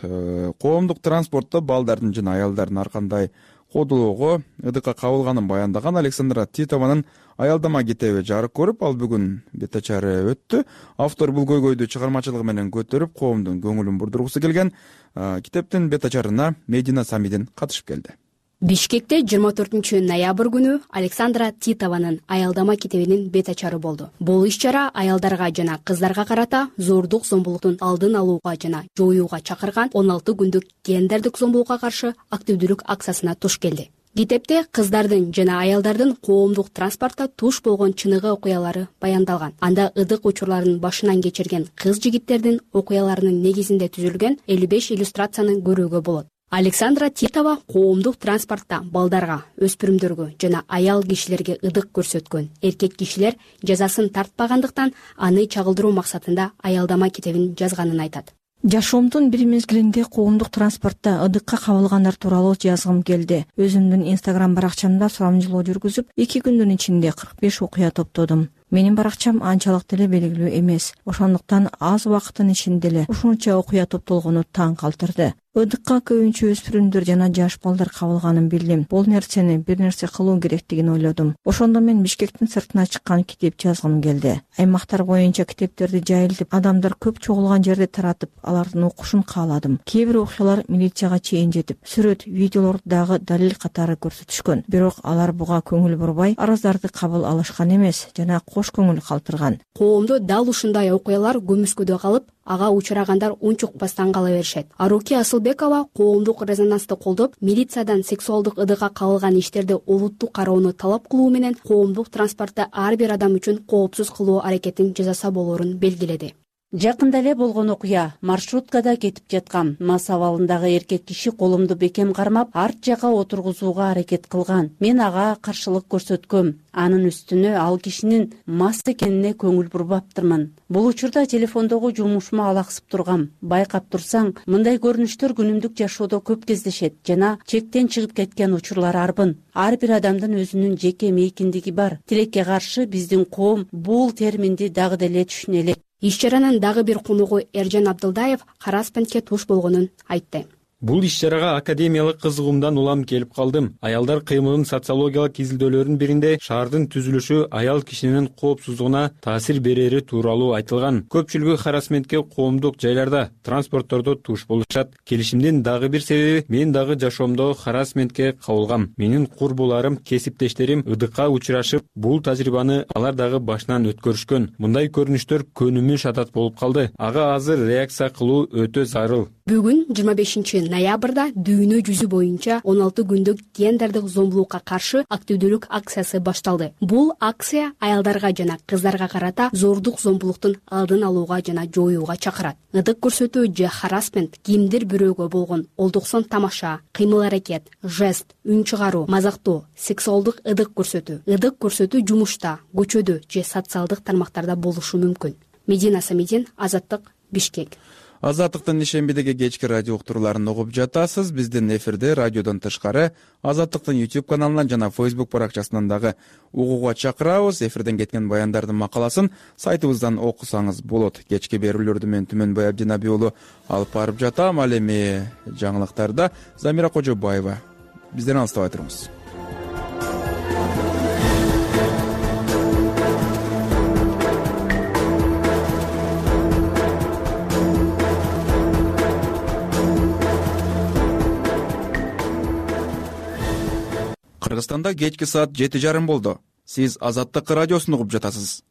Коомдук транспортто балдардын жана аялдардын ар кандай кодулоого ыдыкка кабылганын баяндаган Александра Титованын аялдама китеби жарык көрүп, ал бүгүн бет ачары өттү. Автор бул көйгөйдү чыгармачылыгы менен көтөрүп, коомдун көңүлүн бурдургусу келген. Китептин бет ачарына Медина Самидин катышып келди. Бишкекте 24 ноябрь күнү Александра Титованын аялдама китебинин бет ачары болду. Бул иш-чара аялдарга жана кыздарга карата зордук зомбулуктун алдын алууга жана жоюуга чакырган 16 күндүк гендердик зомбулукка каршы активдүүлүк акциясына туш келди. Китепте кыздардын жана аялдардын коомдук транспортто туш болгон чыныгы окуялары баяндалган. Анда ыдык учурларын башынан кечирген кыз-жигиттердин окуяларынын негизинде түзүлгөн 55 иллюстрацияны көрүүгө болот. Александра Титова коомдук транспортто балдарга, өспүрүмдөргө жана аял кишилерге ыдык көрсөткөн эркек кишилер жазасын тартпагандыктан аны чагылдыруу максатында аялдама китебин жазганын айтат. Жашоомдун бир мезгилинде коомдук транспортто ыдыкка кабылгандар тууралуу жазгым келди. Өзүмдүн Instagram баракчамда сурамжылоо жүргүзүп, 2 күндүн ичинде 45 окуя топтодум. Менин баракчам анчалык деле белгилүү эмес. Ошондуктан аз убакыттын ичинде эле ушунча окуя топтолгону таң калтырды. Ыдыкка көбүнчө өспүрүмдөр жана жаш балдар кабылганын билдим. Бул нерсени бир нерсе кылуу керектигин ойлодум. Ошондо мен Бишкектин сыртына чыккан китеп жазгым келди. Аймактар боюнча китептерди жайылтып, адамдар көп чогулган жерде таратып, алардын окушун кааладым. Кээ бир окуялар милицияга чейин жетип, сүрөт, видеолор дагы далил катары көрсөтүшкөн. Бирок алар буга көңүл бурбай, арыздарды кабыл алышкан эмес жана кош көңүл калтырган. Коомдо дал ушундай окуялар көмүскөдө калып, ага учурагандар унчукпастан кала беришет. Аруки Асылбекова коомдук резонансты колдоп, милициядан сексуалдык ыдыкка кабылган иштерди олуттук кароону талап кылуу менен коомдук транспортто ар бир адам үчүн коопсуз кылуу аракетин жасаса болоорун белгиледи. Жакында эле болгон окуя. Маршруткада кетип жаткам. Мас абалындагы эркек киши колумду бекем кармап, арт жакка отургузууга аракет кылган. Мен ага каршылык көрсөткөм. Анын үстүнө ал кишинин мас экенине көңүл бурбаптырмын. Бул учурда телефондогу жумушума алаксып тургам. Байкап турсаң, мындай көрүнүштөр күнүмдүк жашоодо көп кездешет жана чектен чыгып кеткен учурлар арбын. Ар бир адамдын өзүнүн жеке мейкиндиги бар. Тилекке каршы биздин коом бул терминди дагы деле түшүнө элек. Иш-чаранын дагы бир конугу Эржан Абдылдаев харассментке туш болгонун айтты. Бул иш-чарага академиялык кызыгуумдан улам келип калдым. Аялдар кыймылынын социологиялык изилдөөлөрүнүн биринде шаардын түзүлүшү аял кишинин коопсуздугуна таасир берери тууралуу айтылган. Көпчүлүгү харассментке коомдук жайларда, транспорттордо туш болушат. Келишимдин дагы бир себеби мен дагы жашоомдо харассментке кабылгам. Менин курбуларым, кесиптештерим ыдыкка учурашып, бул тажрыйбаны алар дагы башынан өткөрүшкөн. Мындай көрүнүштөр көнүмүш адат болуп калды. Ага азыр реакция кылуу өтө зарыл. Бүгүн 25 ноябрда дүйнө жүзү боюнча 16 күндүк гендердик зомбулукка каршы активдүүлүк акциясы башталды. Бул акция аялдарга жана кыздарга карата зордук зомбулуктун алдын алууга жана жоюуга чакырат. Ыдык көрсөтүү же харассмент кимдир бирөөгө болгон олдуксон тамаша, кыймыл-аракет, жест, үн чыгаруу, мазактоо, сексуалдык ыдык көрсөтүү жумушта, көчөдө же социалдык тармактарда болушу мүмкүн. Медина Самидин, Азаттык, Бишкек. Азаттыктын ишембидеги кечки радио уктурууларын угуп жатасыз. Биздин эфирде радиодон тышкары Азаттыктын YouTube каналынан жана Facebook баракчасынан дагы угууга чакырабыз. Эфирден кеткен баяндардын макаласын сайтыбыздан окусаңыз болот. Кечки берүүлөрдү мен Түмөнбай Абдинаби уулу алып барып жатам. Ал эми жаңылыктарда Замира Кожобаева бизден алыстабай туруңуз. Кыргызстанда кечки саат 7:30 болду. Сиз Азаттык радиосун угуп жатасыз.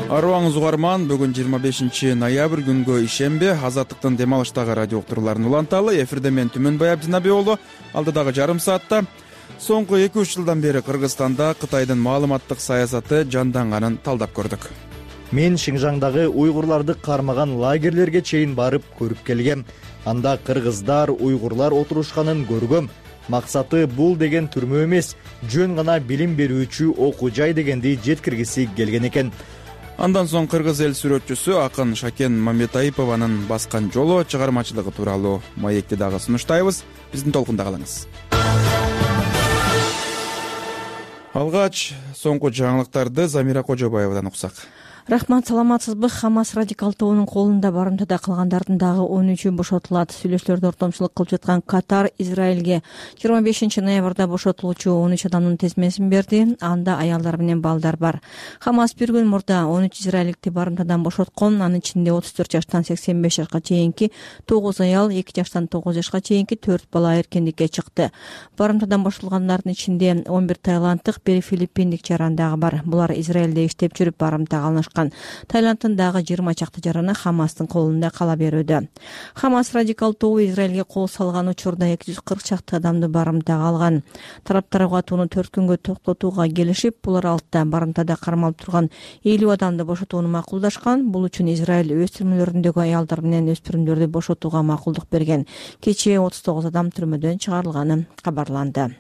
Арыбаңыз угарман, бүгүн 25 ноябрь күнгө ишемби Азаттыктын дем алыштагы радио уктурууларын уланталы. Эфирде мен Түмөнбай Абдинаби уулу. Алдыдагы жарым саатта соңку 2-3 жылдан бери Кыргызстанда Кытайдын маалыматтык саясаты жанданганын талдап көрдүк. Мен Шинжаңдагы уйгурларды кармаган лагерлерге чейин барып көрүп келгем. Анда кыргыздар, уйгурлар отурушканын көргөм. Максаты бул деген түрмө эмес, жөн гана билим берүүчү окуу жай дегенди жеткиргиси келген экен. Андан соң кыргыз эл сүрөтчүсү акын Шакен Мамбетайпованын баскан жолу чыгармачылыгы тууралуу маекти дагы сунуштайбыз. Биздин толкунда калыңыз. Алгач соңку жаңылыктарды Замира Кожобаевадан уксак. Рахмат, саламатсызбы? Хамас радикал тобунун колунда барымтада калгандардын дагы 13-ü бошотулат. Сүйлөшүүлөрдө ортомчулук кылып жаткан Катар Израилге 25 ноябрда бошотулуучу 13 адамдын тезмесин берди. Анда аялдар менен балдар бар. Хамас бир күн мурда 13 израилдикти барымтадан бошоткон. Анын ичинде 34 жаштан 85 жашка чейинки 9 аял, 2 жаштан 9 жашка чейинки 4 бала эркиндикке чыкты. Барымтадан бошотулгандардын ичинде 11 таиланддык, 1 филиппиндик жаран дагы бар. Булар Израилде иштеп жүрүп барымтага алышкан. Таиландтын дагы 20 чакты жараны Хамастын колунда кала берүүдө. Хамас радикал тобу Израилге кол салган учурда 240 чакты адамды барымтага алган. Тараптар угатууну 4 күнгө токтотууга келишип, булар алтта барымтада кармалып турган 50 адамды бошотууну макулдашкан. Бул үчүн Израиль өз түрмөлөрүндөгү аялдар менен өспүрүмдөрдү бошотууга макулдук берген. Кечээ 39 адам түрмөдөн чыгарылганы кабарланды.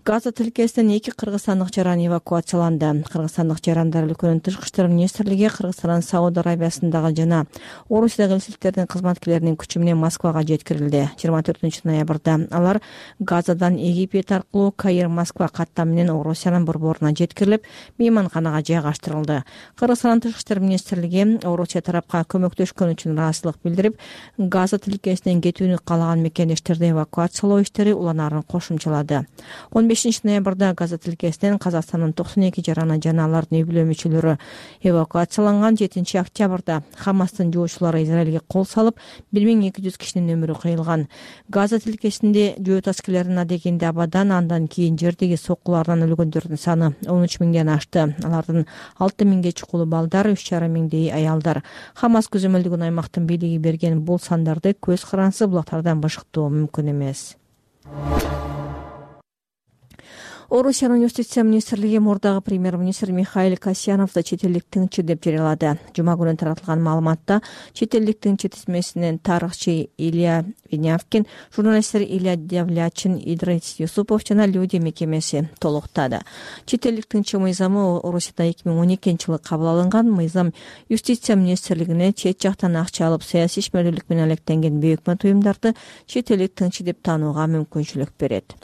Газа тилкесинен 2 кыргызстандык жаран эвакуацияланды. Кыргызстандык жарандар өлкөнүн тышкы иштер министрлиги Кыргызстан, Сауд Арабиясындагы жана Орусиядагы элчиликтердин кызматкерлеринин күчү менен Москвага жеткирилди. 24 ноябрда алар Газадан Египет аркылуу Каир, Москва каттам менен Орусиянын борборуна жеткирилип, мейманканага жайгаштырылды. Кыргызстан тышкы иштер министрлиги Орусия тарапка көмөктөшкөн үчүн ыраазычылык билдирип, Газа тилкесинен кетүүнү каалаган мекендештерди эвакуациялоо иштери уланаарын кошумчалады. 15 ноябрда Газа тилкесинен Казакстандын 92 жараны жана алардын үй-бүлө мүчөлөрү эвакуацияланган. 7 октябрда Хамастын жоочулары Израилге кол салып, 1200 кишинин өмүрү кыйылган. Газа тилкесинде жөө таскелеринин адегинде абадан, андан кийин жердеги соккулардан өлгөндөрдүн саны 13 миңден ашты. Алардын 6 миңге чукулу балдар, 3,5 миңдей аялдар. Хамас көзөмөлдөгөн аймактын бийлиги берген бул сандарды көз карансыз булактардан бышыктоо мүмкүн эмес. Орусиянын юстиция министрлиги мурдагы премьер-министр Михаил Касьяновду чет элдик тыңчы деп жарыялады. Жума күнү таратылган маалыматта чет элдик тыңчы тизмесинен тарыхчы Илья Винявкин, журналисттер Илья Давлячин, Идрис Юсупов жана Люди мекемеси толуктады. Чет элдик тыңчы мыйзамы Орусияда 2012-жылы кабыл алынган. Мыйзам юстиция министрлигине чет жактан акча алып саясий ишмердүүлүк менен алектенген бейөкмөт уюмдарды чет элдик тыңчы деп таанууга мүмкүнчүлүк берет.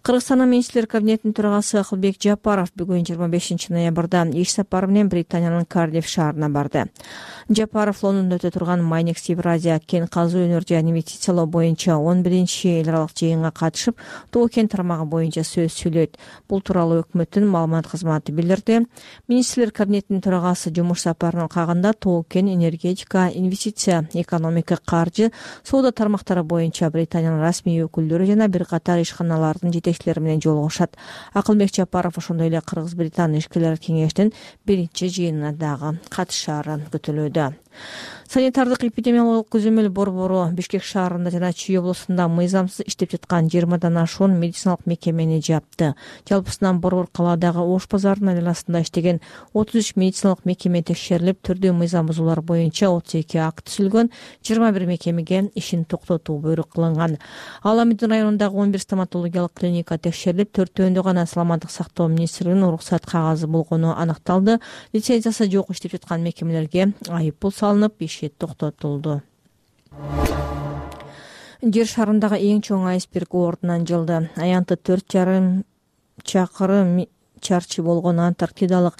Кыргызстандын Министрлер кабинетинин төрагасы Акылбек Жапаров бүгүн 25 ноябрда иш сапары менен Британиянын Кардиф шаарына барды. Жапаров Лондондо өтө турган Майнекс Евразия кен казуу өнөр жана инвестициялоо боюнча 11-эл аралык жыйынга катышып, Тоо кен тармагы боюнча сөз сүйлөйт. Бул тууралуу өкмөттүн маалымат кызматы билдирди. Министрлер кабинетинин төрагасы жумуш сапарынын кагында Тоо кен, энергетика, инвестиция, экономика, каржы, соода тармактары боюнча Британиянын расмий өкүлдөрү жана бир катар ишканалардын жетекчилери менен жолугушат. Акылбек Жапаров ошондой эле Кыргыз-Британ ишкерлер кеңешинин биринчи жыйынына дагы катышаары күтүлүүдө. Санитардык эпидемиологиялык көзөмөл борбору Бишкек шаарында жана Чүй облусунда мыйзамсыз иштеп жаткан 20 ашуун медициналык мекемени жапты. Жалпысынан борбор калаадагы Ош базарынын айланасында иштеген 33 медициналык мекеме текшерилип, түрдүү мыйзам бузуулар боюнча 32 акт түзүлгөн, 21 мекемеге ишин токтотуу буйрук кылынган. Ал Амидин районундагы 11 стоматологиялык клиника текшерилип, 4-өндө гана Саламаттык сактоо министрлигинин уруксат кагазы болгону аныкталды. Лицензиясы жок иштеп жаткан мекемелерге айып пул салынып, иши токтотулду. Жер шарындагы эң чоң айсберг ордунан жылды. Аянты 4,5 чакырым чарчы болгон Антарктидалык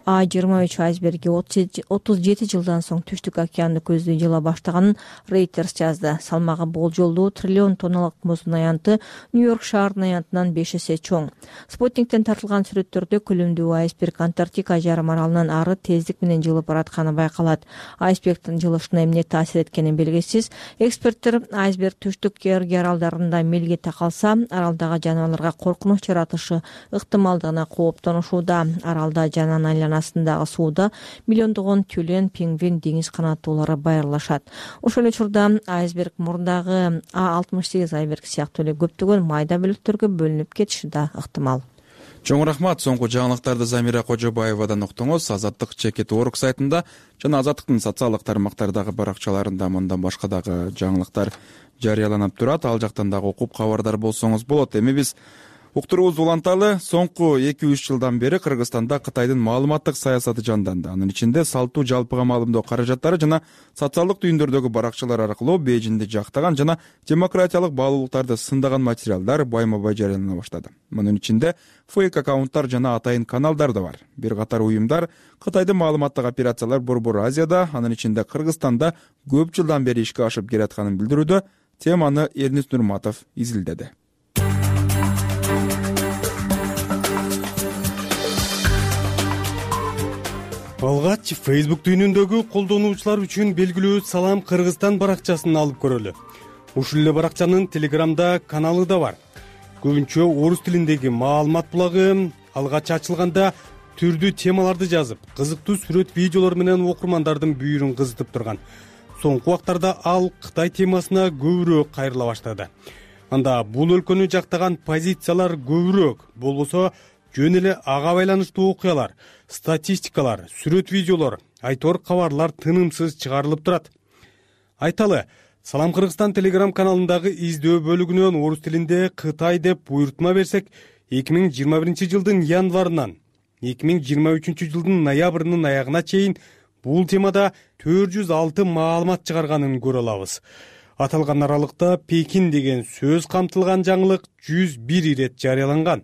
А23 айсберги 37 жылдан соң Түштүк океанды көздөй жыла баштаганын Reuters жазды. Салмагы болжолдуу триллион тонналык муздун аянты Нью-Йорк шаарынын аянтынан 5 эсе чоң. Спутниктен тартылган сүрөттөрдө күлүмдүү айсберг Антарктика жарым аралынан ары тездик менен жылып баратканы байкалат. Айсбергдин жылышына эмне таасир эткени белгисиз. Эксперттер айсберг Түштүк Георгий аралдарында мелге такалса, аралдагы жаныбарларга коркунуч жаратышы ыктымалдыгына кооптонушууда. Аралда жананын айланасындагы сууда миллиондогон тюлен, пингвин, деңиз канаттуулары байырлашат. Ошол эле учурда айсберг мурдагы А68 айсберг сыяктуу эле көптөгөн майда бөлүктөргө бөлүнүп кетиши да ыктымал. Чоң рахмат. Соңку жаңылыктарды Замира Кожобаевадан уктуңуз. Азаттык /org сайтында жана Азаттыктын социалдык тармактардагы баракчаларында мындан башка дагы жаңылыктар жарыяланып турат. Ал жактан дагы окуп кабардар болсоңуз болот. Эми биз уктуруубузду уланталы. Соңку 2-3 жылдан бери Кыргызстанда Кытайдын маалыматтык саясаты жанданды. Анын ичинде салтуу жалпыга маалымдоо каражаттары жана социалдык түйүндөрдөгү баракчалар аркылуу Бейжиңди жактаган жана демократиялык баалуулуктарды сындаган материалдар байма-бай жарыялана баштады. Мунун ичинде фейк аккаунттар жана атайын каналдар да бар. Бир катар уюмдар Кытайдын маалыматтык операциялар Борбор Азияда, анын ичинде Кыргызстанда көп жылдан бери ишке ашып келатканын билдирүүдө. Теманы Эрнис Нурматов изилдеди. Алгач Facebook дүйнөндөгү колдонуучулар үчүн белгилүү Салам Кыргызстан баракчасын алып көрөлү. Ушул эле баракчанын Телеграмда каналы да бар. Көбүнчө орус тилиндеги маалымат булагы алгач ачылганда түрдүү темаларды жазып, кызыктуу сүрөт, видеолор менен окурмандардын бүйүрүн кызытып турган. Соңку убактарда ал Кытай темасына көбүрөөк кайрыла баштады. Анда бул өлкөнү жактаган позициялар көбүрөөк, болбосо жөн эле ага байланыштуу окуялар, статистикалар, сүрөт, видеолор, айтор кабарлар тынымсыз чыгарылып турат. Айталы, Салам Кыргызстан Телеграм каналындагы издөө бөлүгүнөн орус тилинде Кытай деп буйрутма берсек, 2021 жылдын январынан 2023 жылдын ноябрынын аягына чейин бул темада 406 маалымат чыгарганын көрө алабыз. Аталган аралыкта Пекин деген сөз камтылган жаңылык 101 ирет жарыяланган.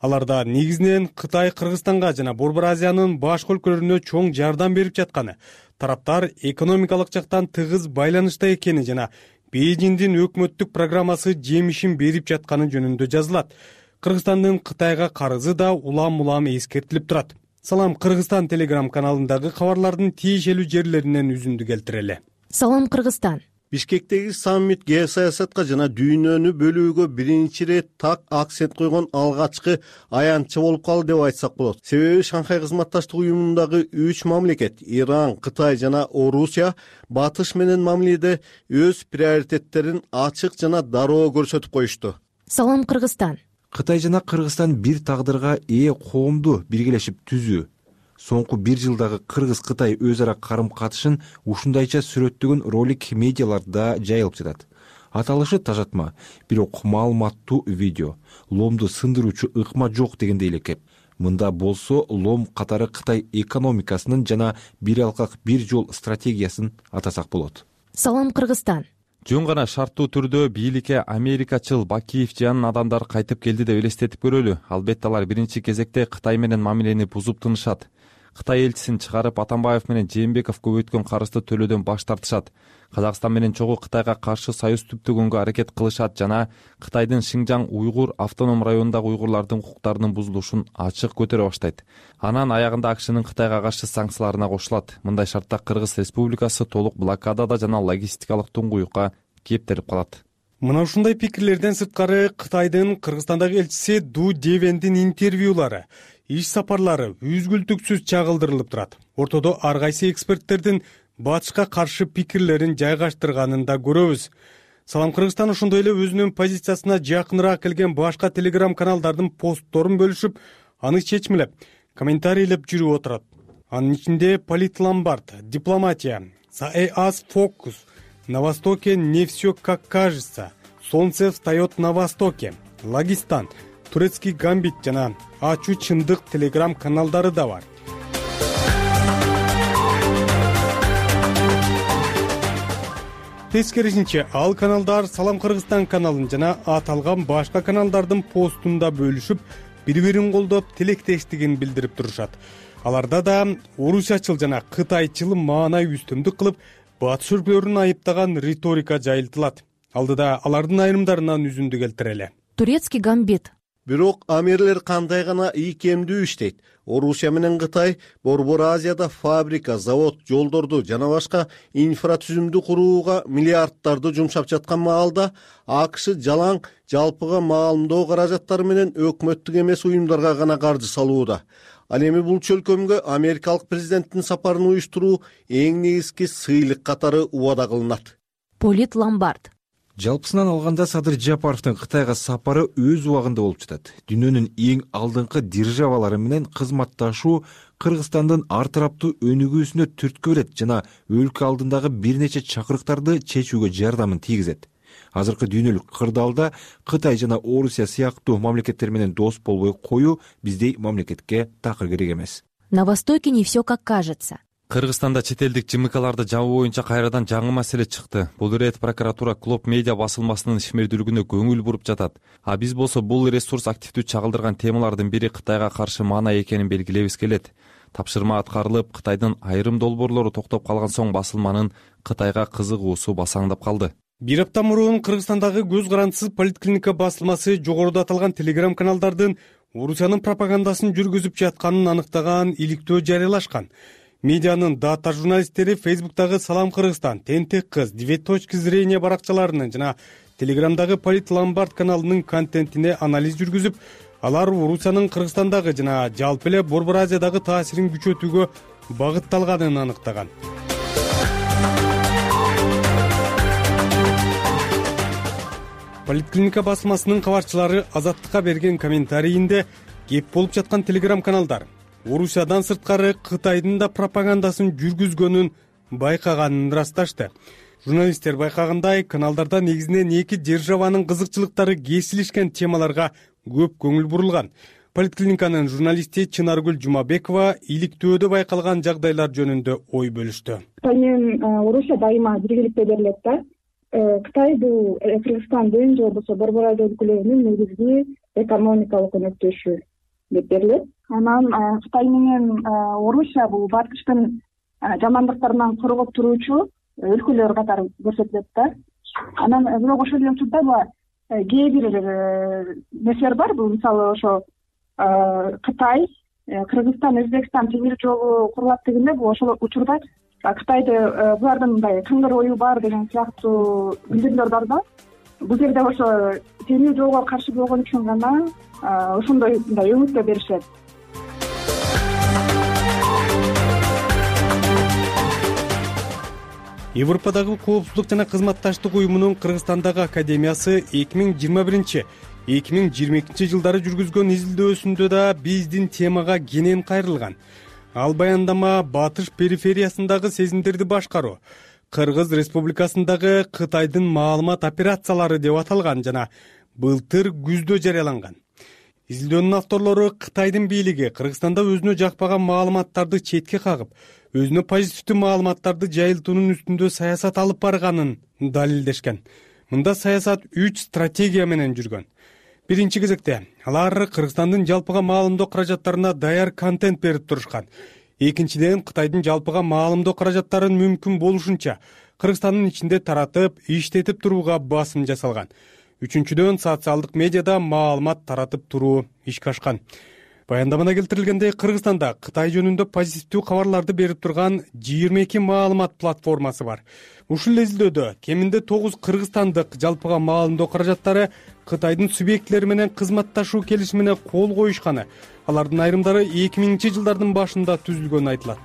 Аларда негизинен Кытай Кыргызстанга жана Борбор Азиянын башка өлкөлөрүнө чоң жардам берип жатканы, тараптар экономикалык жактан тыгыз байланышта экени жана Бейжиңдин өкмөттүк программасы жемишин берип жатканы жөнүндө жазылат. Кыргызстандын Кытайга карызы да улам-улам эскертилип турат. Салам Кыргызстан Телеграм каналындагы кабарлардын тиешелүү жерлеринен үзүндү келтирели. Салам Кыргызстан. Бишкектеги саммит геосаясатка жана дүйнөнү бөлүүгө биринчи ирет так акцент койгон алгачкы аянтчы болуп калды деп айтсак болот. Себеби Шанхай кызматташтык уюмундагы 3 мамлекет Иран, Кытай жана Орусия батыш менен мамиледе өз приоритеттерин ачык жана дароо көрсөтүп коюшту. Салам Кыргызстан. Кытай жана Кыргызстан бир тагдырга ээ коомду биргелешип түзүү. Соңку 1 жылдагы Кыргыз-Кытай өз ара карым-катышын ушундайча сүрөттөгөн ролик медиаларда жайылып жатат. Аталышы тажатма, бирок маалыматтуу видео. Ломду сындыруучу ыкма жок дегендей эле кеп. Мында болсо Лом катары Кытай экономикасынын жана бир алкак бир жол стратегиясын атасак болот. Салам Кыргызстан. Жөн гана шарттуу түрдө бийликке америкачыл Бакиев жан адамдар кайтып келди деп элестетип көрөлү. Албетте алар биринчи кезекте Кытай менен мамилени бузуп тынышат. Кытай элчисин чыгарып Атамбаев менен Жээнбеков көбөйткөн карызды төлөөдөн баш тартышат. Казакстан менен чогуу Кытайга каршы союз түптөгөнгө аракет кылышат жана Кытайдын Шинжаң уйгур автоном районундагы уйгурлардын укуктарынын бузулушун ачык көтөрө баштайт. Анан аягында АКШнын Кытайга каршы санкцияларына кошулат. Мындай шартта Кыргыз Республикасы толук блокадада жана логистикалык туңгуюкка кептелип калат. Мына ушундай пикирлерден сырткары Кытайдын Кыргызстандагы элчиси Ду Девендин интервьюлары, иш сапарлары үзгүлтүксүз чагылдырылып турат. Ортодо ар кайсы эксперттердин батышка каршы пикирлерин жайгаштырганын да көрөбүз. Салам Кыргызстан ошондой эле өзүнүн позициясына жакыныраак келген башка телеграм каналдардын постторун бөлүшүп, аны чечмелеп, комментарийлеп жүрүп отурат. Анын ичинде Политломбард, Дипломатия, САЭАС Фокус, На Востоке не все как кажется, Солнце встает на Востоке, Лагистан, Турецкий гамбит жана Ачуу чындык телеграм каналдары да бар. Тескерисинче, ал каналдар Салам Кыргызстан каналын жана аталган башка каналдардын постунда бөлүшүп, бири-бирин колдоп, тилектештигин билдирип турушат. Аларда да орусячыл жана кытайчыл маанай үстөмдүк кылып, батыш өлкөлөрүн айыптаган риторика жайылтылат. Алдыда алардын айрымдарынан үзүндү келтирели. Турецкий гамбит. Бирок амирлер кандай гана ийкемдүү иштейт. Орусия менен Кытай Борбор Азияда фабрика, завод, жолдорду жана башка инфратүзүмдү курууга миллиарддарды жумшап жаткан маалда АКШ жалаң жалпыга маалымдоо каражаттары менен өкмөттүк эмес уюмдарга гана каржы салууда. Ал эми бул чөлкөмгө америкалык президенттин сапарын уюштуруу эң негизги сыйлык катары убада кылынат. Политломбард. Жалпысынан алганда Садыр Жапаровдун Кытайга сапары өз убагында болуп жатат. Дүйнөнүн эң алдыңкы державалары менен кызматташуу Кыргызстандын ар тараптуу өнүгүүсүнө түрткү берет жана өлкө алдындагы бир нече чакырыктарды чечүүгө жардамын тийгизет. Азыркы дүйнөлүк кырдаалда Кытай жана Орусия сыяктуу мамлекеттер менен дос болбой коюу биздей мамлекетке такыр керек эмес. На Востоке не все как кажется. Кыргызстанда чет элдик ЖМКларды жабуу боюнча кайрадан жаңы маселе чыкты. Бул ирет прокуратура Клоп медиа басылмасынын ишмердүүлүгүнө көңүл буруп жатат. А биз болсо бул ресурс активдүү чагылдырган темалардын бири Кытайга каршы маанай экенин белгилебиз келет. Тапшырма аткарылып, Кытайдын айрым долбоорлору токтоп калган соң басылманын Кытайга кызыгуусу басаңдап калды. Бир апта мурун Кыргызстандагы көз карандысыз Политклиника басылмасы жогоруда аталган телеграм каналдардын Орусиянын пропагандасын жүргүзүп жатканын аныктаган иликтөө жарыялашкан. Медианын дата журналисттери Фейсбуктагы Салам Кыргызстан, Тентек кыз, 9 точки зрения баракчаларынын жана Телеграмдагы Политломбард каналынын контентине анализ жүргүзүп, алар Орусиянын Кыргызстандагы жана жалпы эле Борбор Азиядагы таасирин күчөтүүгө багытталганын аныктаган. Политклиника басылмасынын кабарчылары Азаттыкка берген комментарийинде кеп болуп жаткан телеграм каналдар Орусиядан сырткары Кытайдын да пропагандасын жүргүзгөнүн байкаганын ырасташты. Журналисттер байкагандай, каналдарда негизинен эки державанын кызыкчылыктары кесилишкен темаларга көп көңүл бурулган. Политклиниканын журналисти Чынаргүл Жумабекова иликтөөдө байкалган жагдайлар жөнүндө ой бөлүштү. Кытай менен Орусия дайыма биргеликте берилет да. Кытай бул Кыргызстандын же болбосо Борбор Азия өлкөлөрүнүн негизги экономикалык өнөктөшү деп берилет. Анан Кытай менен Орусия бул батыштын жамандыктарынан коргоп туруучу өлкөлөр катары көрсөтүлөт да. Анан бирок ошол эле учурда кээ бир нерселер бар. Бул мисалы ошо Кытай, Кыргызстан, Өзбекстан темир жолу курулат дегенде бул ошол учурда Кытайды булардын мындай кыңгыр ою бар деген сыяктуу билдирүүлөр бар да. Бул жерде ошо темир жолго каршы болгон үчүн гана ошондой мындай өңүттө беришет. Европадагы коопсуздук жана кызматташтык уюмунун Кыргызстандагы академиясы 2021-2022 жылдары жүргүзгөн изилдөөсүндө да биздин темага кенен кайрылган. Ал баяндама батыш перифериясындагы сезимдерди башкаруу, Кыргыз Республикасындагы Кытайдын маалымат операциялары деп аталган жана былтыр күздө жарыяланган. Изилдөөнүн авторлору Кытайдын бийлиги Кыргызстанда өзүнө жакпаган маалыматтарды четке кагып, өзүнө позитивдүү маалыматтарды жайылтуунун үстүндө саясат алып барганын далилдешкен. Мында саясат 3 стратегия менен жүргөн. Биринчи кезекте алар Кыргызстандын жалпыга маалымдоо каражаттарына даяр контент берип турушкан. Экинчиден, Кытайдын жалпыга маалымдоо каражаттарын мүмкүн болушунча Кыргызстандын ичинде таратып, иштетип турууга басым жасалган. Үчүнчүдөн, социалдык медиада маалымат таратып туруу ишке ашкан. Баяндамада келтирилгендей, Кыргызстанда Кытай жөнүндө позитивдүү кабарларды берип турган 22 маалымат платформасы бар. Ушул изилдөөдө кеминде 9 кыргызстандык жалпыга маалымдоо каражаттары Кытайдын субъектлери менен кызматташуу келишимине кол коюшканы, алардын айрымдары 2000-жылдардын башында түзүлгөнү айтылат.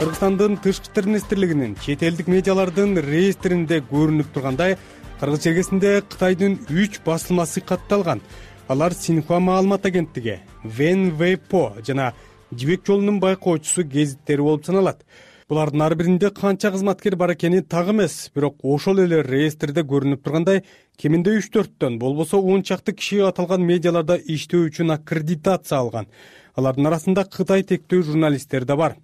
Кыргызстандын тышкы иштер министрлигинин чет элдик медиалардын реестринде көрүнүп тургандай, кыргыз чергесинде Кытайдын 3 басылмасы катталган. Алар Синьхуа маалымат агенттиги, Вен Вэйпо жана Жибек жолунун байкоочусу гезиттери болуп саналат. Булардын ар биринде канча кызматкер бар экени так эмес, бирок ошол эле реестрде көрүнүп тургандай, кеминде 3-4төн, болбосо 10 чакты киши аталган медиаларда иштөө үчүн аккредитация алган. Алардын арасында Кытай тектөө журналисттер да бар.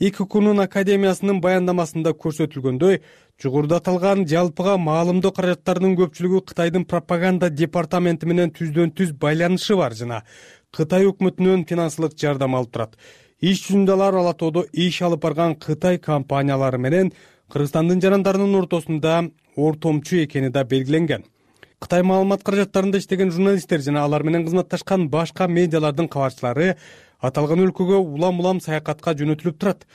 ИККУнун академиясынын баяндамасында көрсөтүлгөндөй, жогоруда аталган жалпыга маалымдоо каражаттарынын көпчүлүгү Кытайдын пропаганда департаменти менен түздөн-түз байланышы бар жана Кытай өкмөтүнөн финансылык жардам алып турат. Иш жүзүндө алар Ала тоодо иш алып барган Кытай компаниялары менен Кыргызстандын жарандарынын ортосунда ортомчу экени да белгиленген. Кытай маалымат каражаттарында иштеген журналисттер жана алар менен кызматташкан башка медиалардын кабарчылары аталган өлкөгө улам-улам саякатка жөнөтүлүп турат.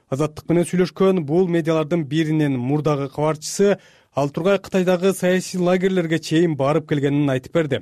Азаттык менен сүйлөшкөн бул медиалардын биринин мурдагы кабарчысы ал тургай Кытайдагы саясий лагерлерге чейин барып келгенин айтып берди.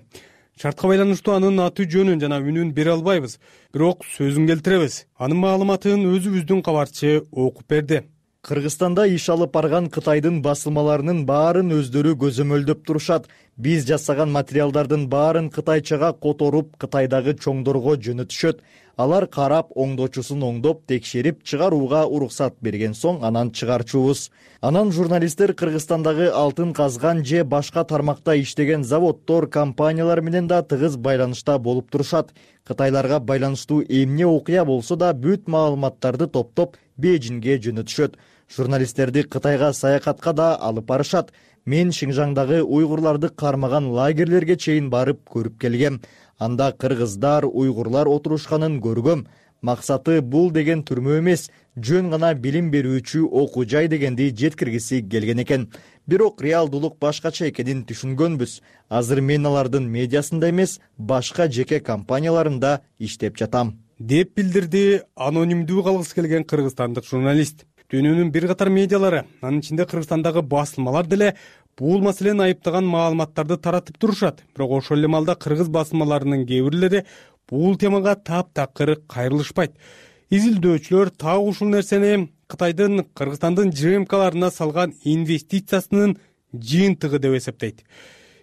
Шартка байланыштуу анын аты жөнүн жана үнүн бере албайбыз, бирок сөзүн келтиребиз. Анын маалыматын өзүбүздүн кабарчы окуп берди. Кыргызстанда иш алып барган Кытайдын басылмаларынын баарын өздөрү көзөмөлдөп турушат. Биз жасаган материалдардын баарын кытайчага которуп, Кытайдагы чоңдорго жөнөтүшөт. Алар карап, оңдоочусун оңдоп, текшерип, чыгарууга уруксат берген соң анан чыгарчубуз. Анан журналисттер Кыргызстандагы алтын казган же башка тармакта иштеген заводдор, компаниялар менен да тыгыз байланышта болуп турушат. Кытайларга байланыштуу эмне окуя болсо да бүт маалыматтарды топтоп Бейжиңге жөнөтүшөт. Журналисттерди Кытайга саякатка да алып барышат. Мен Шинжаңдагы уйгурларды кармаган лагерлерге чейин барып көрүп келгем. Анда кыргыздар, уйгурлар отурушканын көргөм. Максаты бул деген түрмө эмес, жөн гана билим берүүчү окуу жай дегенди жеткиргиси келген экен. Бирок реалдуулук башкача экенин түшүнгөнбүз. Азыр мен алардын медиасында эмес, башка жеке компанияларында иштеп жатам, деп билдирди анонимдүү калгысы келген кыргызстандык журналист. Дүйнөнүн бир катар медиалары, анын ичинде Кыргызстандагы басылмалар деле бул маселени айыптаган маалыматтарды таратып турушат. Бирок ошол эле маалда кыргыз басылмаларынын кээ бирлери бул темага таптакыр кайрылышпайт. Изилдөөчүлөр так ушул нерсени Кытайдын Кыргызстандын ЖМКларына салган инвестициясынын жыйынтыгы деп эсептейт.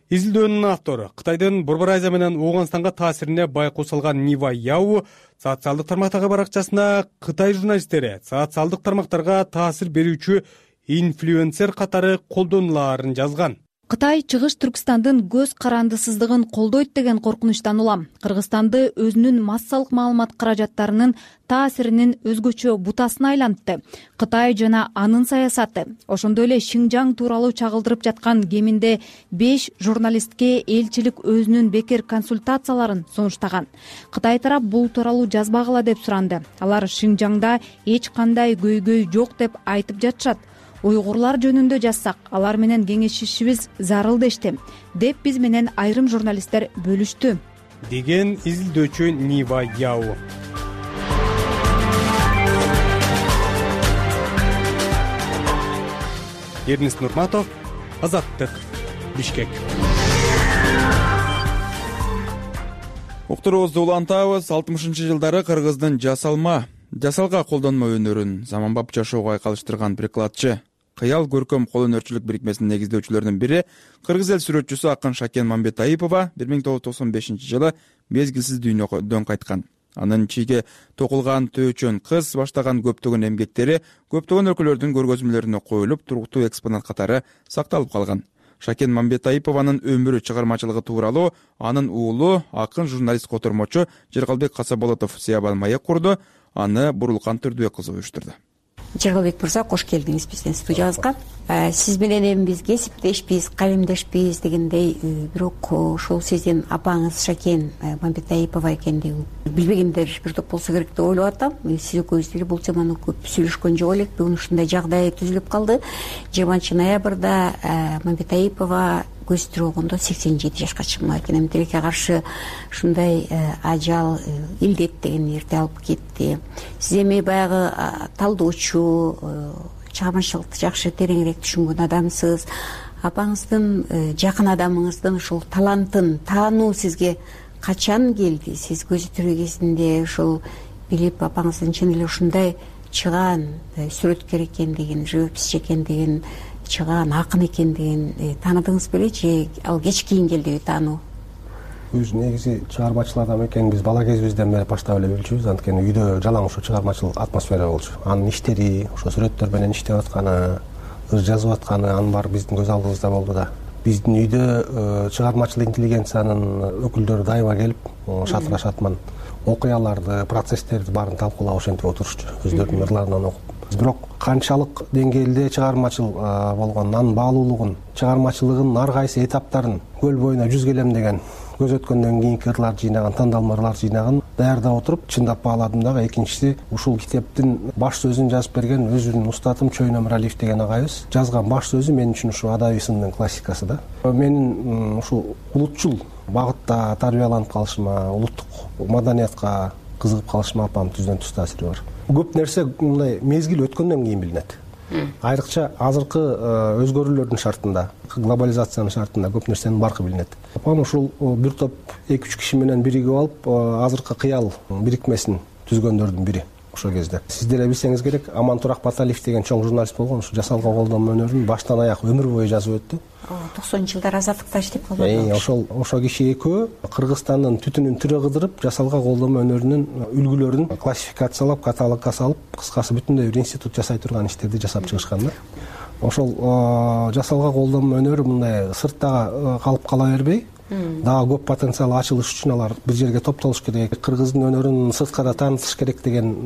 Изилдөөнүн автору Кытайдын Борбор Азия менен Ооганстанга таасирине байкоо салган Нива Яу социалдык тармактагы баракчасына Кытай журналисттери социалдык тармактарга таасир берүүчү инфлюенсер катары колдонулаарын жазган. Кытай Чыгыш Түркстандын көз карандысыздыгын колдойт деген коркунучтан улам Кыргызстанды өзүнүн массалык маалымат каражаттарынын таасиринин өзгөчө бутасына айлантты. Кытай жана анын саясаты, ошондой эле Шинжаң тууралуу чагылдырып жаткан кеминде 5 журналистке элчилик өзүнүн бекер консультацияларын сунуштаган. Кытай тарап бул тууралуу жазбагыла деп суранды. Алар Шинжаңда эч кандай көйгөй жок деп айтып жатышат. Уйгурлар жөнүндө жазсак, алар менен кеңешишибиз зарыл дешти, деп биз менен айрым журналисттер бөлүштү, деген изилдөөчү Нива Яу. Эрнест Нурматов, Азаттык, Бишкек. Уктуруубузду улантабыз. 60-жылдары Кыргыздын жасалга колдонмо өнөрүн заманбап жашоого айкалыштырган прикладчы, кыял көркөм кол өнөрчүлүк бирикмесинин негиздөөчүлөрүнүн бири кыргыз эл сүрөтчүсү акын Шакен Мамбетаипова 1995-жылы мезгилсиз дүйнөдөн кайткан. Анын чийге токулган Төөчөн кыз баштаган көптөгөн эмгектери көптөгөн өлкөлөрдүн көргөзмөлөрүнө коюлуп, туруктуу экспонат катары сакталып калган. Шакен Мамбетаипованын өмүрү, чыгармачылыгы тууралуу анын уулу, акын журналист котормочу Жергалбек Касаболотов Сыябан маек курду. Аны Бурулкан Түрдүбек кызы уюштурду. Жергалбек мырза, кош келдиңиз биздин студиябызга. Сиз менен эми биз кесиптешпиз, калемдешпиз дегендей, бирок ошол сиздин апаңыз Шакен Мамбетаипова экендигин билбегендер бир топ болсо керек деп ойлоп атам. Сиз экөөбүз деле бул теманы көп сүйлөшкөн жок элек. Бүгүн ушундай жагдай түзүлүп калды. 20-ноябрда Мамбетаипова көз тирогондо 87 жашка чыкмак экен. Эми тилекке каршы ушундай ажал, илдет деген эрте алып кетти. Сиз эми баягы талдоочу, чыгармачылыкты жакшы тереңирээк түшүнгөн адамсыз. Апаңыздын, жакын адамыңыздын ушул талантын таануу сизге качан келди? Сиз көзү тирүү кезинде ушул билип, апаңыздын чын эле ушундай чыгаан сүрөткер экендигин, живописчи экендигин, чыгаан акын экендигин тааныдыңыз беле же ал кеч кийин келдиби таануу? Биз негизи чыгармачыл адам экенин биз бала кезибизден бери баштап эле билчүбүз. Анткени үйдө жалаң ошо чыгармачыл атмосфера болчу. Анын иштери, ошо сүрөттөр менен иштеп атканы, ыр жазып атканы анын баары биздин көз алдыбызда болду да. Биздин үйдө чыгармачыл интеллигенциянын өкүлдөрү дайыма келип, шатыра шатман окуяларды, процесстерди баарын талкуулап ошентип отурушчу, өздөрүнүн ырларынан окуп. Бирок канчалык деңгээлде чыгармачыл болгонун, анын баалуулугун, чыгармачылыгынын ар кайсы этаптарын көл боюна жүз келем деген көз өткөндөн кийинки ырларды жыйнаган, тандалма ырларды жыйнаган даярдап отуруп чындап бааладым дагы. Экинчиси, ушул китептин баш сөзүн жазып берген өзүнүн устатым Чойн Өмүралиев деген агайыбыз жазган баш сөзү мен үчүн ушу адабий сындын классикасы да. Менин ушул улутчул багытта тарбияланып калышыма, улуттук маданиятка кызыгып калышыма апам түздөн түз таасири бар. Көп нерсе мындай мезгил өткөндөн кийин билинет. Айрыкча азыркы өзгөрүүлөрдүн шартында, глобализациянын шартында көп нерсенин баркы билинет. Апам ушул бир топ 2-3 киши менен биригип алып, азыркы кыял бирикмесин түзгөндөрдүн бири ошол кезде. Сиз деле билсеңиз керек, Амантурак Баталиев деген чоң журналист болгон, ушу жасалга колдонмо өнөрүн баштан аяк өмүр бою жазып өттү. 90-жылдар азаттыкта иштеп калган. Ошол киши экөө Кыргызстандын түтүнүн тирэ кыдырып, жасалга колдонмо өнөрүнүн үлгүлөрүн классификациялап, каталогко салып, кыскасы бүтүндөй бир институт жасай турган иштерди жасап чыгышкан да. Ошол жасалга колдонмо өнөрү мындай сыртта калып кала бербей, дагы көп потенциал ачылыш үчүн алар бир жерге топтолуш керек, кыргыздын өнөрүн сырткара таанытыш керек деген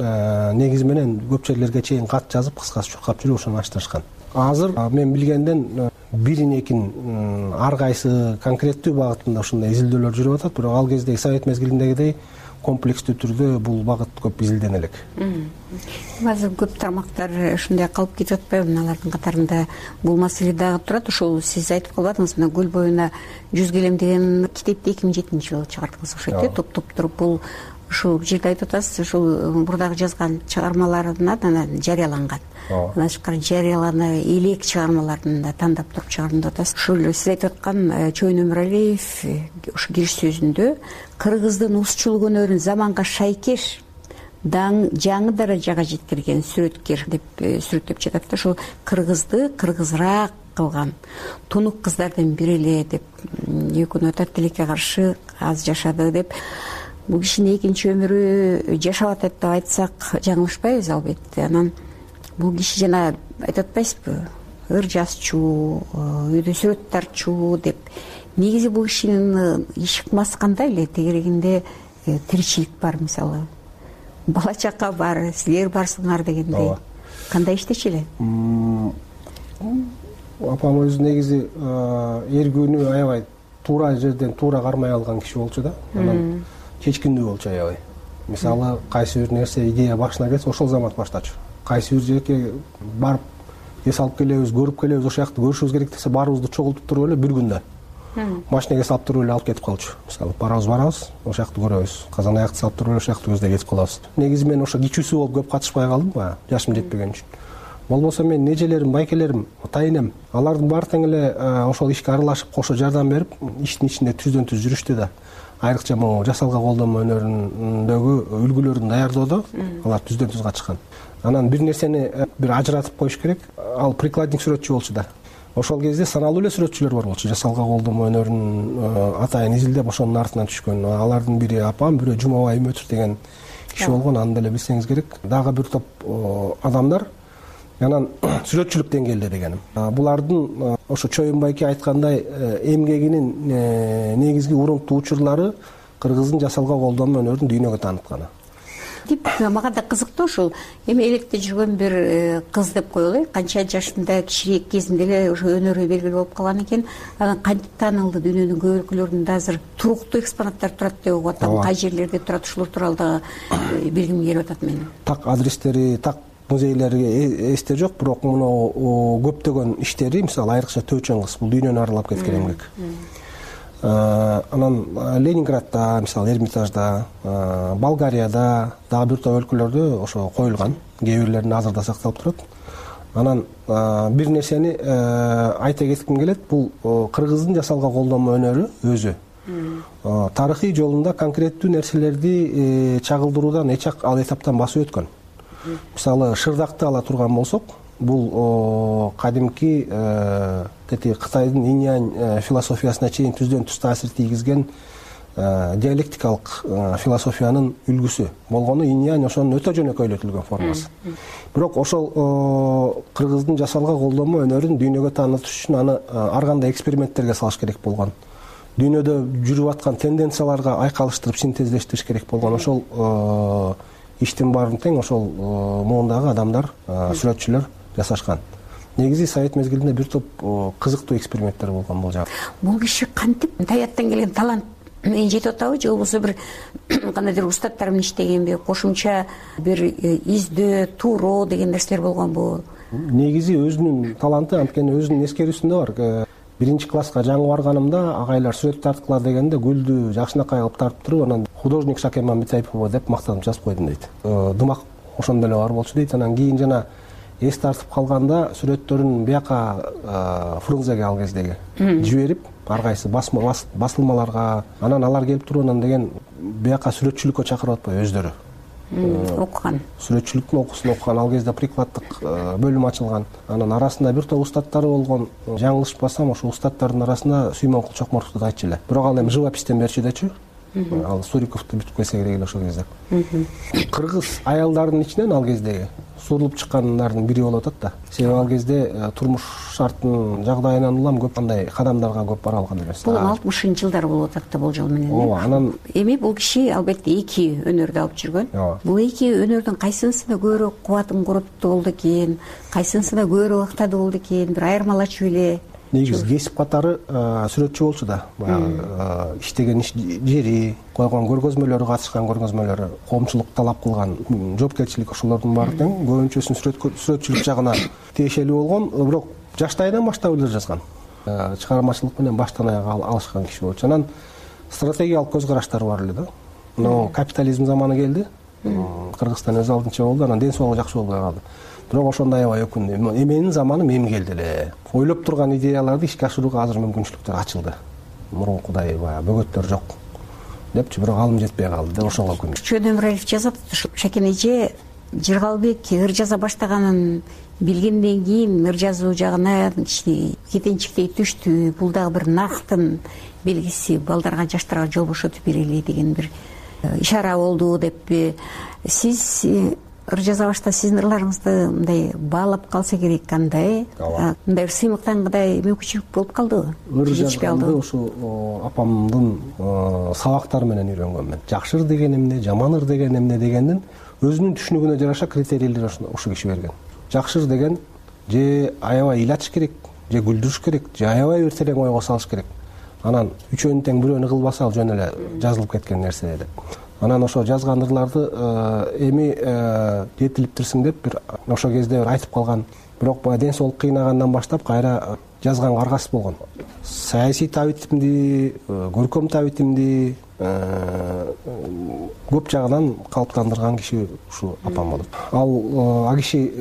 негиз менен көп жерлерге чейин кат жазып, кыскасы чуркап жүрүп ошону ачтырышкан. Азыр мен билгенден бирин-экин ар кайсы конкреттүү багытында ушундай изилдөөлөр жүрүп атат, бирок ал кездеги совет мезгилиндегидей комплекстүү түрдө бул багыт көп изилдене элек. Азыр көп тармактар ушундай калып кетип атпайбы? Алардын катарында бул маселе дагы турат. Ошол сиз айтып калбадыңыз, мына Көл боюна 100 келем деген китепти 2007-жылы чыгардыңыз окшойт, топтоп туруп. Бул ушул жерде айтып атасыз, ушул мурдагы жазган чыгармаларынан жарыяланган. Андан тышкары жарыялана элек чыгармаларын да тандап туруп чыгардым деп атасыз. Ушул сиз айтып аткан Чойн Өмүралиев ушу кириш сөзүндө кыргыздын узчулук өнөрүн заманга шайкеш жаңы даражага жеткирген сүрөткер деп сүрөттөп жатат да. Ошол кыргызды кыргызраак кылган тунук кыздардын бири эле деп экөөнү атат, тилекке каршы аз жашады деп. Бул кишинин экинчи өмүрү жашап атат деп айтсак жаңылышпайбыз албетте. Анан бул киши жана айтып атпайсызбы, ыр жазчу, үйдө сүрөт тартчу деп. Негизи бул кишинин ишыкмасы кандай эле? Тегерегинде тиричилик бар, мисалы бала чака бар, силер барсыңар дегендей. Кандай иштечү эле? Апам өзү негизи эргүүнү аябай туура жерден туура кармай алган киши болчу да. Анан чечкиндүү болчу аябай. Мисалы кайсы бир нерсе идея башына келсе ошол замат баштачу. Кайсы бир жерге барып эс алып келебиз, көрүп келебиз, ошол жакты көрүшүбүз керек десе баарыбызды чогултуп туруп эле бир күндө машинеге салып туруп эле алып кетип калчу. Мисалы барабыз, ошол жакты көрөбүз. Казан аякты салып туруп эле ошол жакты көздөй кетип калабыз. Негизи мен ошо кичүүсү болуп көп катышпай калдым, жашым жетпеген үчүн. Болбосо мен нежелерим, байкелерим, атайынем, алардын баары тең эле ошол ишке аралашып, кошо жардам берип, иштин ичинде түздөн түз жүрүштү да. Айрыкча могу жасалга колдонмо өнөрүндөгү үлгүлөрүн даярдоодо алар түздөн түз катышкан. Анан бир нерсени бир ажыратып коюш керек. Ал прикладник сүрөтчү болчу да. Ошол кезде саналуу эле сүрөтчүлөр бар болчу. Жасалга колдонмо өнөрүн атайын изилдеп ошонун артынан түшкөн. Алардын бири апам, бирөө Жумабай Үмөтов деген киши болгон. Аны деле билсеңиз керек. Дагы бир топ адамдар. Анан сүрөтчүлүк деңгээлде дегеним. Булардын ошо Чойн байке айткандай эмгегинин негизги урунтуу учурлары кыргыздын жасалга колдонмо өнөрүн дүйнөгө таанытканы. Мага да кызыктуу ушул эми электе жүргөн бир кыз деп коелу, канча жашында кичирээк кезинде эле ошо өнөрү белгилүү болуп калган экен. Анан кантип таанылды? Дүйнөнүн көп өлкөлөрүндө азыр туруктуу экспонаттар турат деп угуп атам. Кай жерлерде турат? Ушулар тууралуу да билгим келип атат менин. Так адрестери, так музейлерге эсте жок, бирок муну көптөгөн иштери, мисалы айрыкча Төөчөн кыз, бул дүйнөнү аралап кеткен эмгек. Анан Ленинградда, мисалы Эрмитажда, Болгарияда, дагы бир топ өлкөлөрдө ошо коюлган. Кээ бирлеринин азырда сакталып турат. Анан бир нерсени айта кетким келет. Бул кыргыздын жасалга колдонмо өнөрү өзү тарыхый жолунда конкреттүү нерселерди чагылдыруудан эч ал этаптан басып өткөн. мисалы шырдакты ала турган болсок, бул кадимки Кытайдын инь-янь философиясына чейин түздөн түз таасир тийгизген диалектикалык философиянын үлгүсү болгону инь-янь ошонун өтө жөнөкөйлөтүлгөн формасы. Бирок ошол кыргыздын жасалган колдонмо өнөрүн дүйнөгө таанытыш үчүн аны ар кандай эксперименттерге салыш керек болгон. Дүйнөдө жүрүп аткан тенденцияларга айкалыштырып синтезлештириш керек болгон. Ошол иштин баарын тең ошол муундагы адамдар, сүрөтчүлөр жасашкан. Негизи совет мезгилинде бир топ кызыктуу эксперименттер болгон бул жагы. Бул киши кантип табияттан келген талант менен жетип атабы, же болбосо бир кандайдыр устаттар менен иштегенби, кошумча бир издөө, тууроо деген нерселер болгонбу? Негизи өзүнүн таланты, анткени өзүнүн эскерүүсүндө бар. Биринчи класска жаңы барганымда агайлар сүрөт тарткыла дегенде гүлдү жакшынакай кылып тартып туруп, анан художник Шакен Мамбетаипова деп мактанып жазып койдум дейт. Дымак ошондой эле бар болчу дейт. Анан кийин жана эс тартып калганда сүрөттөрүн бияка Фрунзеге ал кездеги жиберип, ар кайсы басылмаларга, анан алар келип туруп анан деген бияка сүрөтчүлүккө чакырып атпайбы өздөрү окуган. Сүрөтчүлүктүн окуусун окуган. Ал кезде прикладдык бөлүм ачылган. Анан арасында бир топ устаттары болгон. Жаңылышпасам, ошо устаттардын арасында Сүймөнкул Чокмортовду айтчу эле. Бирок ал эми живопистен берчү дечү. Ал Суриковду бүтүп койсо керек эле ошол кезде. Кыргыз аялдарынын ичинен ал кездеги сурулуп чыккандардын бири болуп атат да. Себеби ал кезде турмуш шарттын жагдайынан улам көп андай кадамдарга көп бара алган эмес. Бул 60-шы жылдар болуп атат да болжол менен. Ооба, анан эми бул киши албетте эки өнөрдү алып жүргөн. Бул эки өнөрдүн кайсынысында көбүрөөк кубатын коротуп болду экен, кайсынысында көбүрөөк ыктады болду экен, бир айырмалачу эле. Негизи кесип катары сүрөтчү болчу да. Баягы иштеген жери, койгон көргөзмөлөрү, катышкан көргөзмөлөрү, коомчулук талап кылган жоопкерчилик ошолордун баары тең көбүнчөсүн сүрөтчүлүк жагына тиешелүү болгон. Бирок жаштайынан баштап эле жазган. Чыгармачылык менен баштан аяга алышкан киши болчу. Анан стратегиялык көз караштары бар эле да. Но капитализм заманы келди. Кыргызстан өз алдынча болду, анан ден соолугу жакшы болбой калды. Бирок ошондо аябай өкүндү. Эменин заманы эми келди эле. Ойлоп турган идеяларды ишке ашырууга азыр мүмкүнчүлүктөр ачылды. Мурункудай баягы бөгөттөр жок депчи, бирок алым жетпей калды деп ошого өкүндү. Чөөн Өмүралиев жазат, Шакен эже Жыргалбек ыр жаза баштаганын билгенден кийин ыр жазуу жагына кетенчиктей түштү. Бул дагы бир нарктын белгиси, балдарга, жаштарга жол бошотуп берели деген бир ишара болду деппи. Сиз ыр жаза башта сиздин ырларыңызды мындай баалап калса керек, кандай мындай бир сыймыктангандай мүмкүнчүлүк болуп калдыбы? Ыр жазганды ошо апамдын сабактары менен үйрөнгөм мен. Жакшы ыр деген эмне, жаман ыр деген эмне дегендин өзүнүн түшүнүгүнө жараша критерийлер ошо киши берген. Жакшы ыр деген же аябай ыйлатыш керек, же күлдүрүш керек, же аябай бир терең ойго салыш керек. Анан үчөөнүн тең бирөөнү кылбаса ал жөн эле жазылып кеткен нерсе деп. Анан ошо жазган ырларды эми жетилиптирсиң деп бир ошол кезде бир айтып калган. Бирок баягы ден соолук кыйнагандан баштап кайра жазганга аргасыз болгон. Саясий табитимди, көркөм табитимди көп жагынан калыптандырган киши ушу апам болот. Ал киши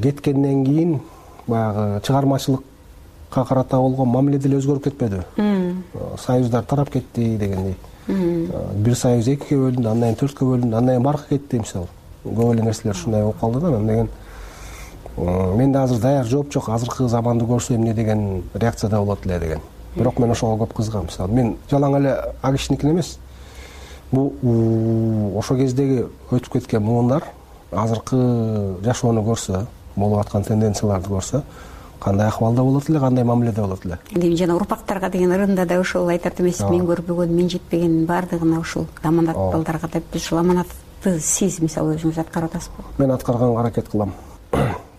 кеткенден кийин баягы чыгармачылыкка карата болгон мамиле деле өзгөрүп кетпедиби? Союздар тарап кетти дегендей. Бир союз экиге бөлүндү, андан кийин 4кө бөлүндү, андан кийин баркы кетти мисалы. Көп эле нерселер ушундай болуп калды да. Анан деген менде азыр даяр жооп жок, азыркы заманды көрсө эмне деген реакцияда болот эле деген. Бирок мен ошого көп кызыгам. Мисалы мен жалаң эле кишиникин эмес. Бул ошол кездеги өтүп кеткен муундар азыркы жашоону көрсө, болуп аткан тенденцияларды көрсө, кандай акыбалда болот эле, кандай мамиледе болот эле. Эми жана урпактарга деген ырында да ошол айтат эмес, мен көрбөгөн, мен жетпеген баардыгына ушул аманат балдарга деп, ушул аманатты сиз мисалы өзүңүз аткарып атасызбы? Мен аткарганга аракет кылам.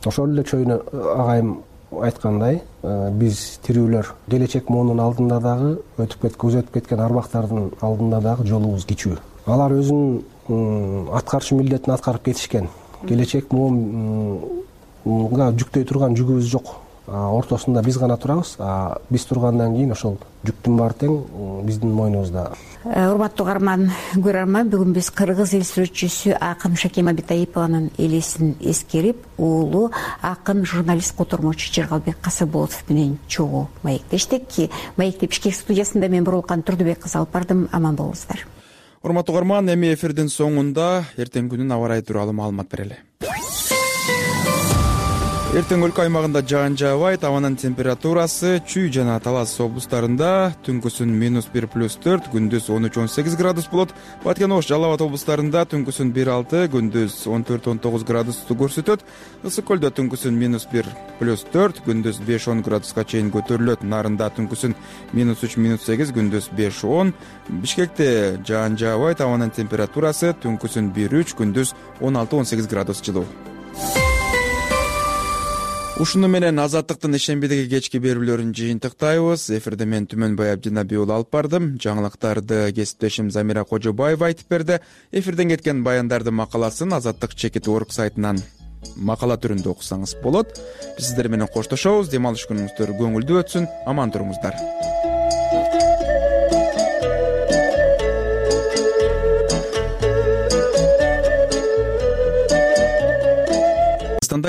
Ошол эле чөйнө агайым айткандай, биз тирүүлөр келечек муунун алдында дагы көз өтүп кеткен арбактардын алдында дагы жолубуз кичүү. Алар өзүнүн аткарчу милдетин аткарып кетишкен. Келечек муунга жүктөй турган жүгүбүз жок. Ортосунда биз гана турабыз. Биз тургандан кийин ошол жүктүн баары тең биздин мойнубузда. Урматтуу каарман, көрөрман, бүгүн биз кыргыз эл сүрөтчүсү акын Шакен Мамбетаипованын элесин эскерип, уулу акын журналист котормочу Жыргалбек Касырболотов менен чогуу маектештик. Маектеп бишкек студиясында мен Бурулкан Турдубек кызы алып бардым. Аман болуңуздар. урматтуу угарман, эми эфирдин соңунда эртең күнүн аба ырайы тууралуу маалымат берели. Эртең өлкө аймагында жаан жаабайт, абанын температурасы Чүй жана Талас облустарында түнкүсүн -1+4, күндүз 13-18 градус болот. Баткен, Ош, Жалал Абад облустарында түнкүсүн 1-6, күндүз 14-19 градусту көрсөтөт. Ысык көлдө түнкүсүн -1+4, күндүз 5-10 градуска чейин көтөрүлөт. Нарында түнкүсүн -3-8, күндүз 5-10. Бишкекте жаан жаабайт, абанын температурасы түнкүсүн 1-3, күндүз 16-18 градус жылуу. Ушуну менен Азаттыктын ишембидеги кечки берүүлөрүн жыйынтыктайбыз. Эфирде мен Түмөнбай Абдинабий уулу алып бардым. Жаңылыктарды кесиптешим Замира Кожобаева айтып берди. Эфирден кеткен баяндардын макаласын Азаттык Чекит.org сайтынан макала түрүндө окусаңыз болот. Биз сиздер менен коштошобуз. Дем алыш күнүңүздөр көңүлдүү өтсүн. Аман туруңуздар.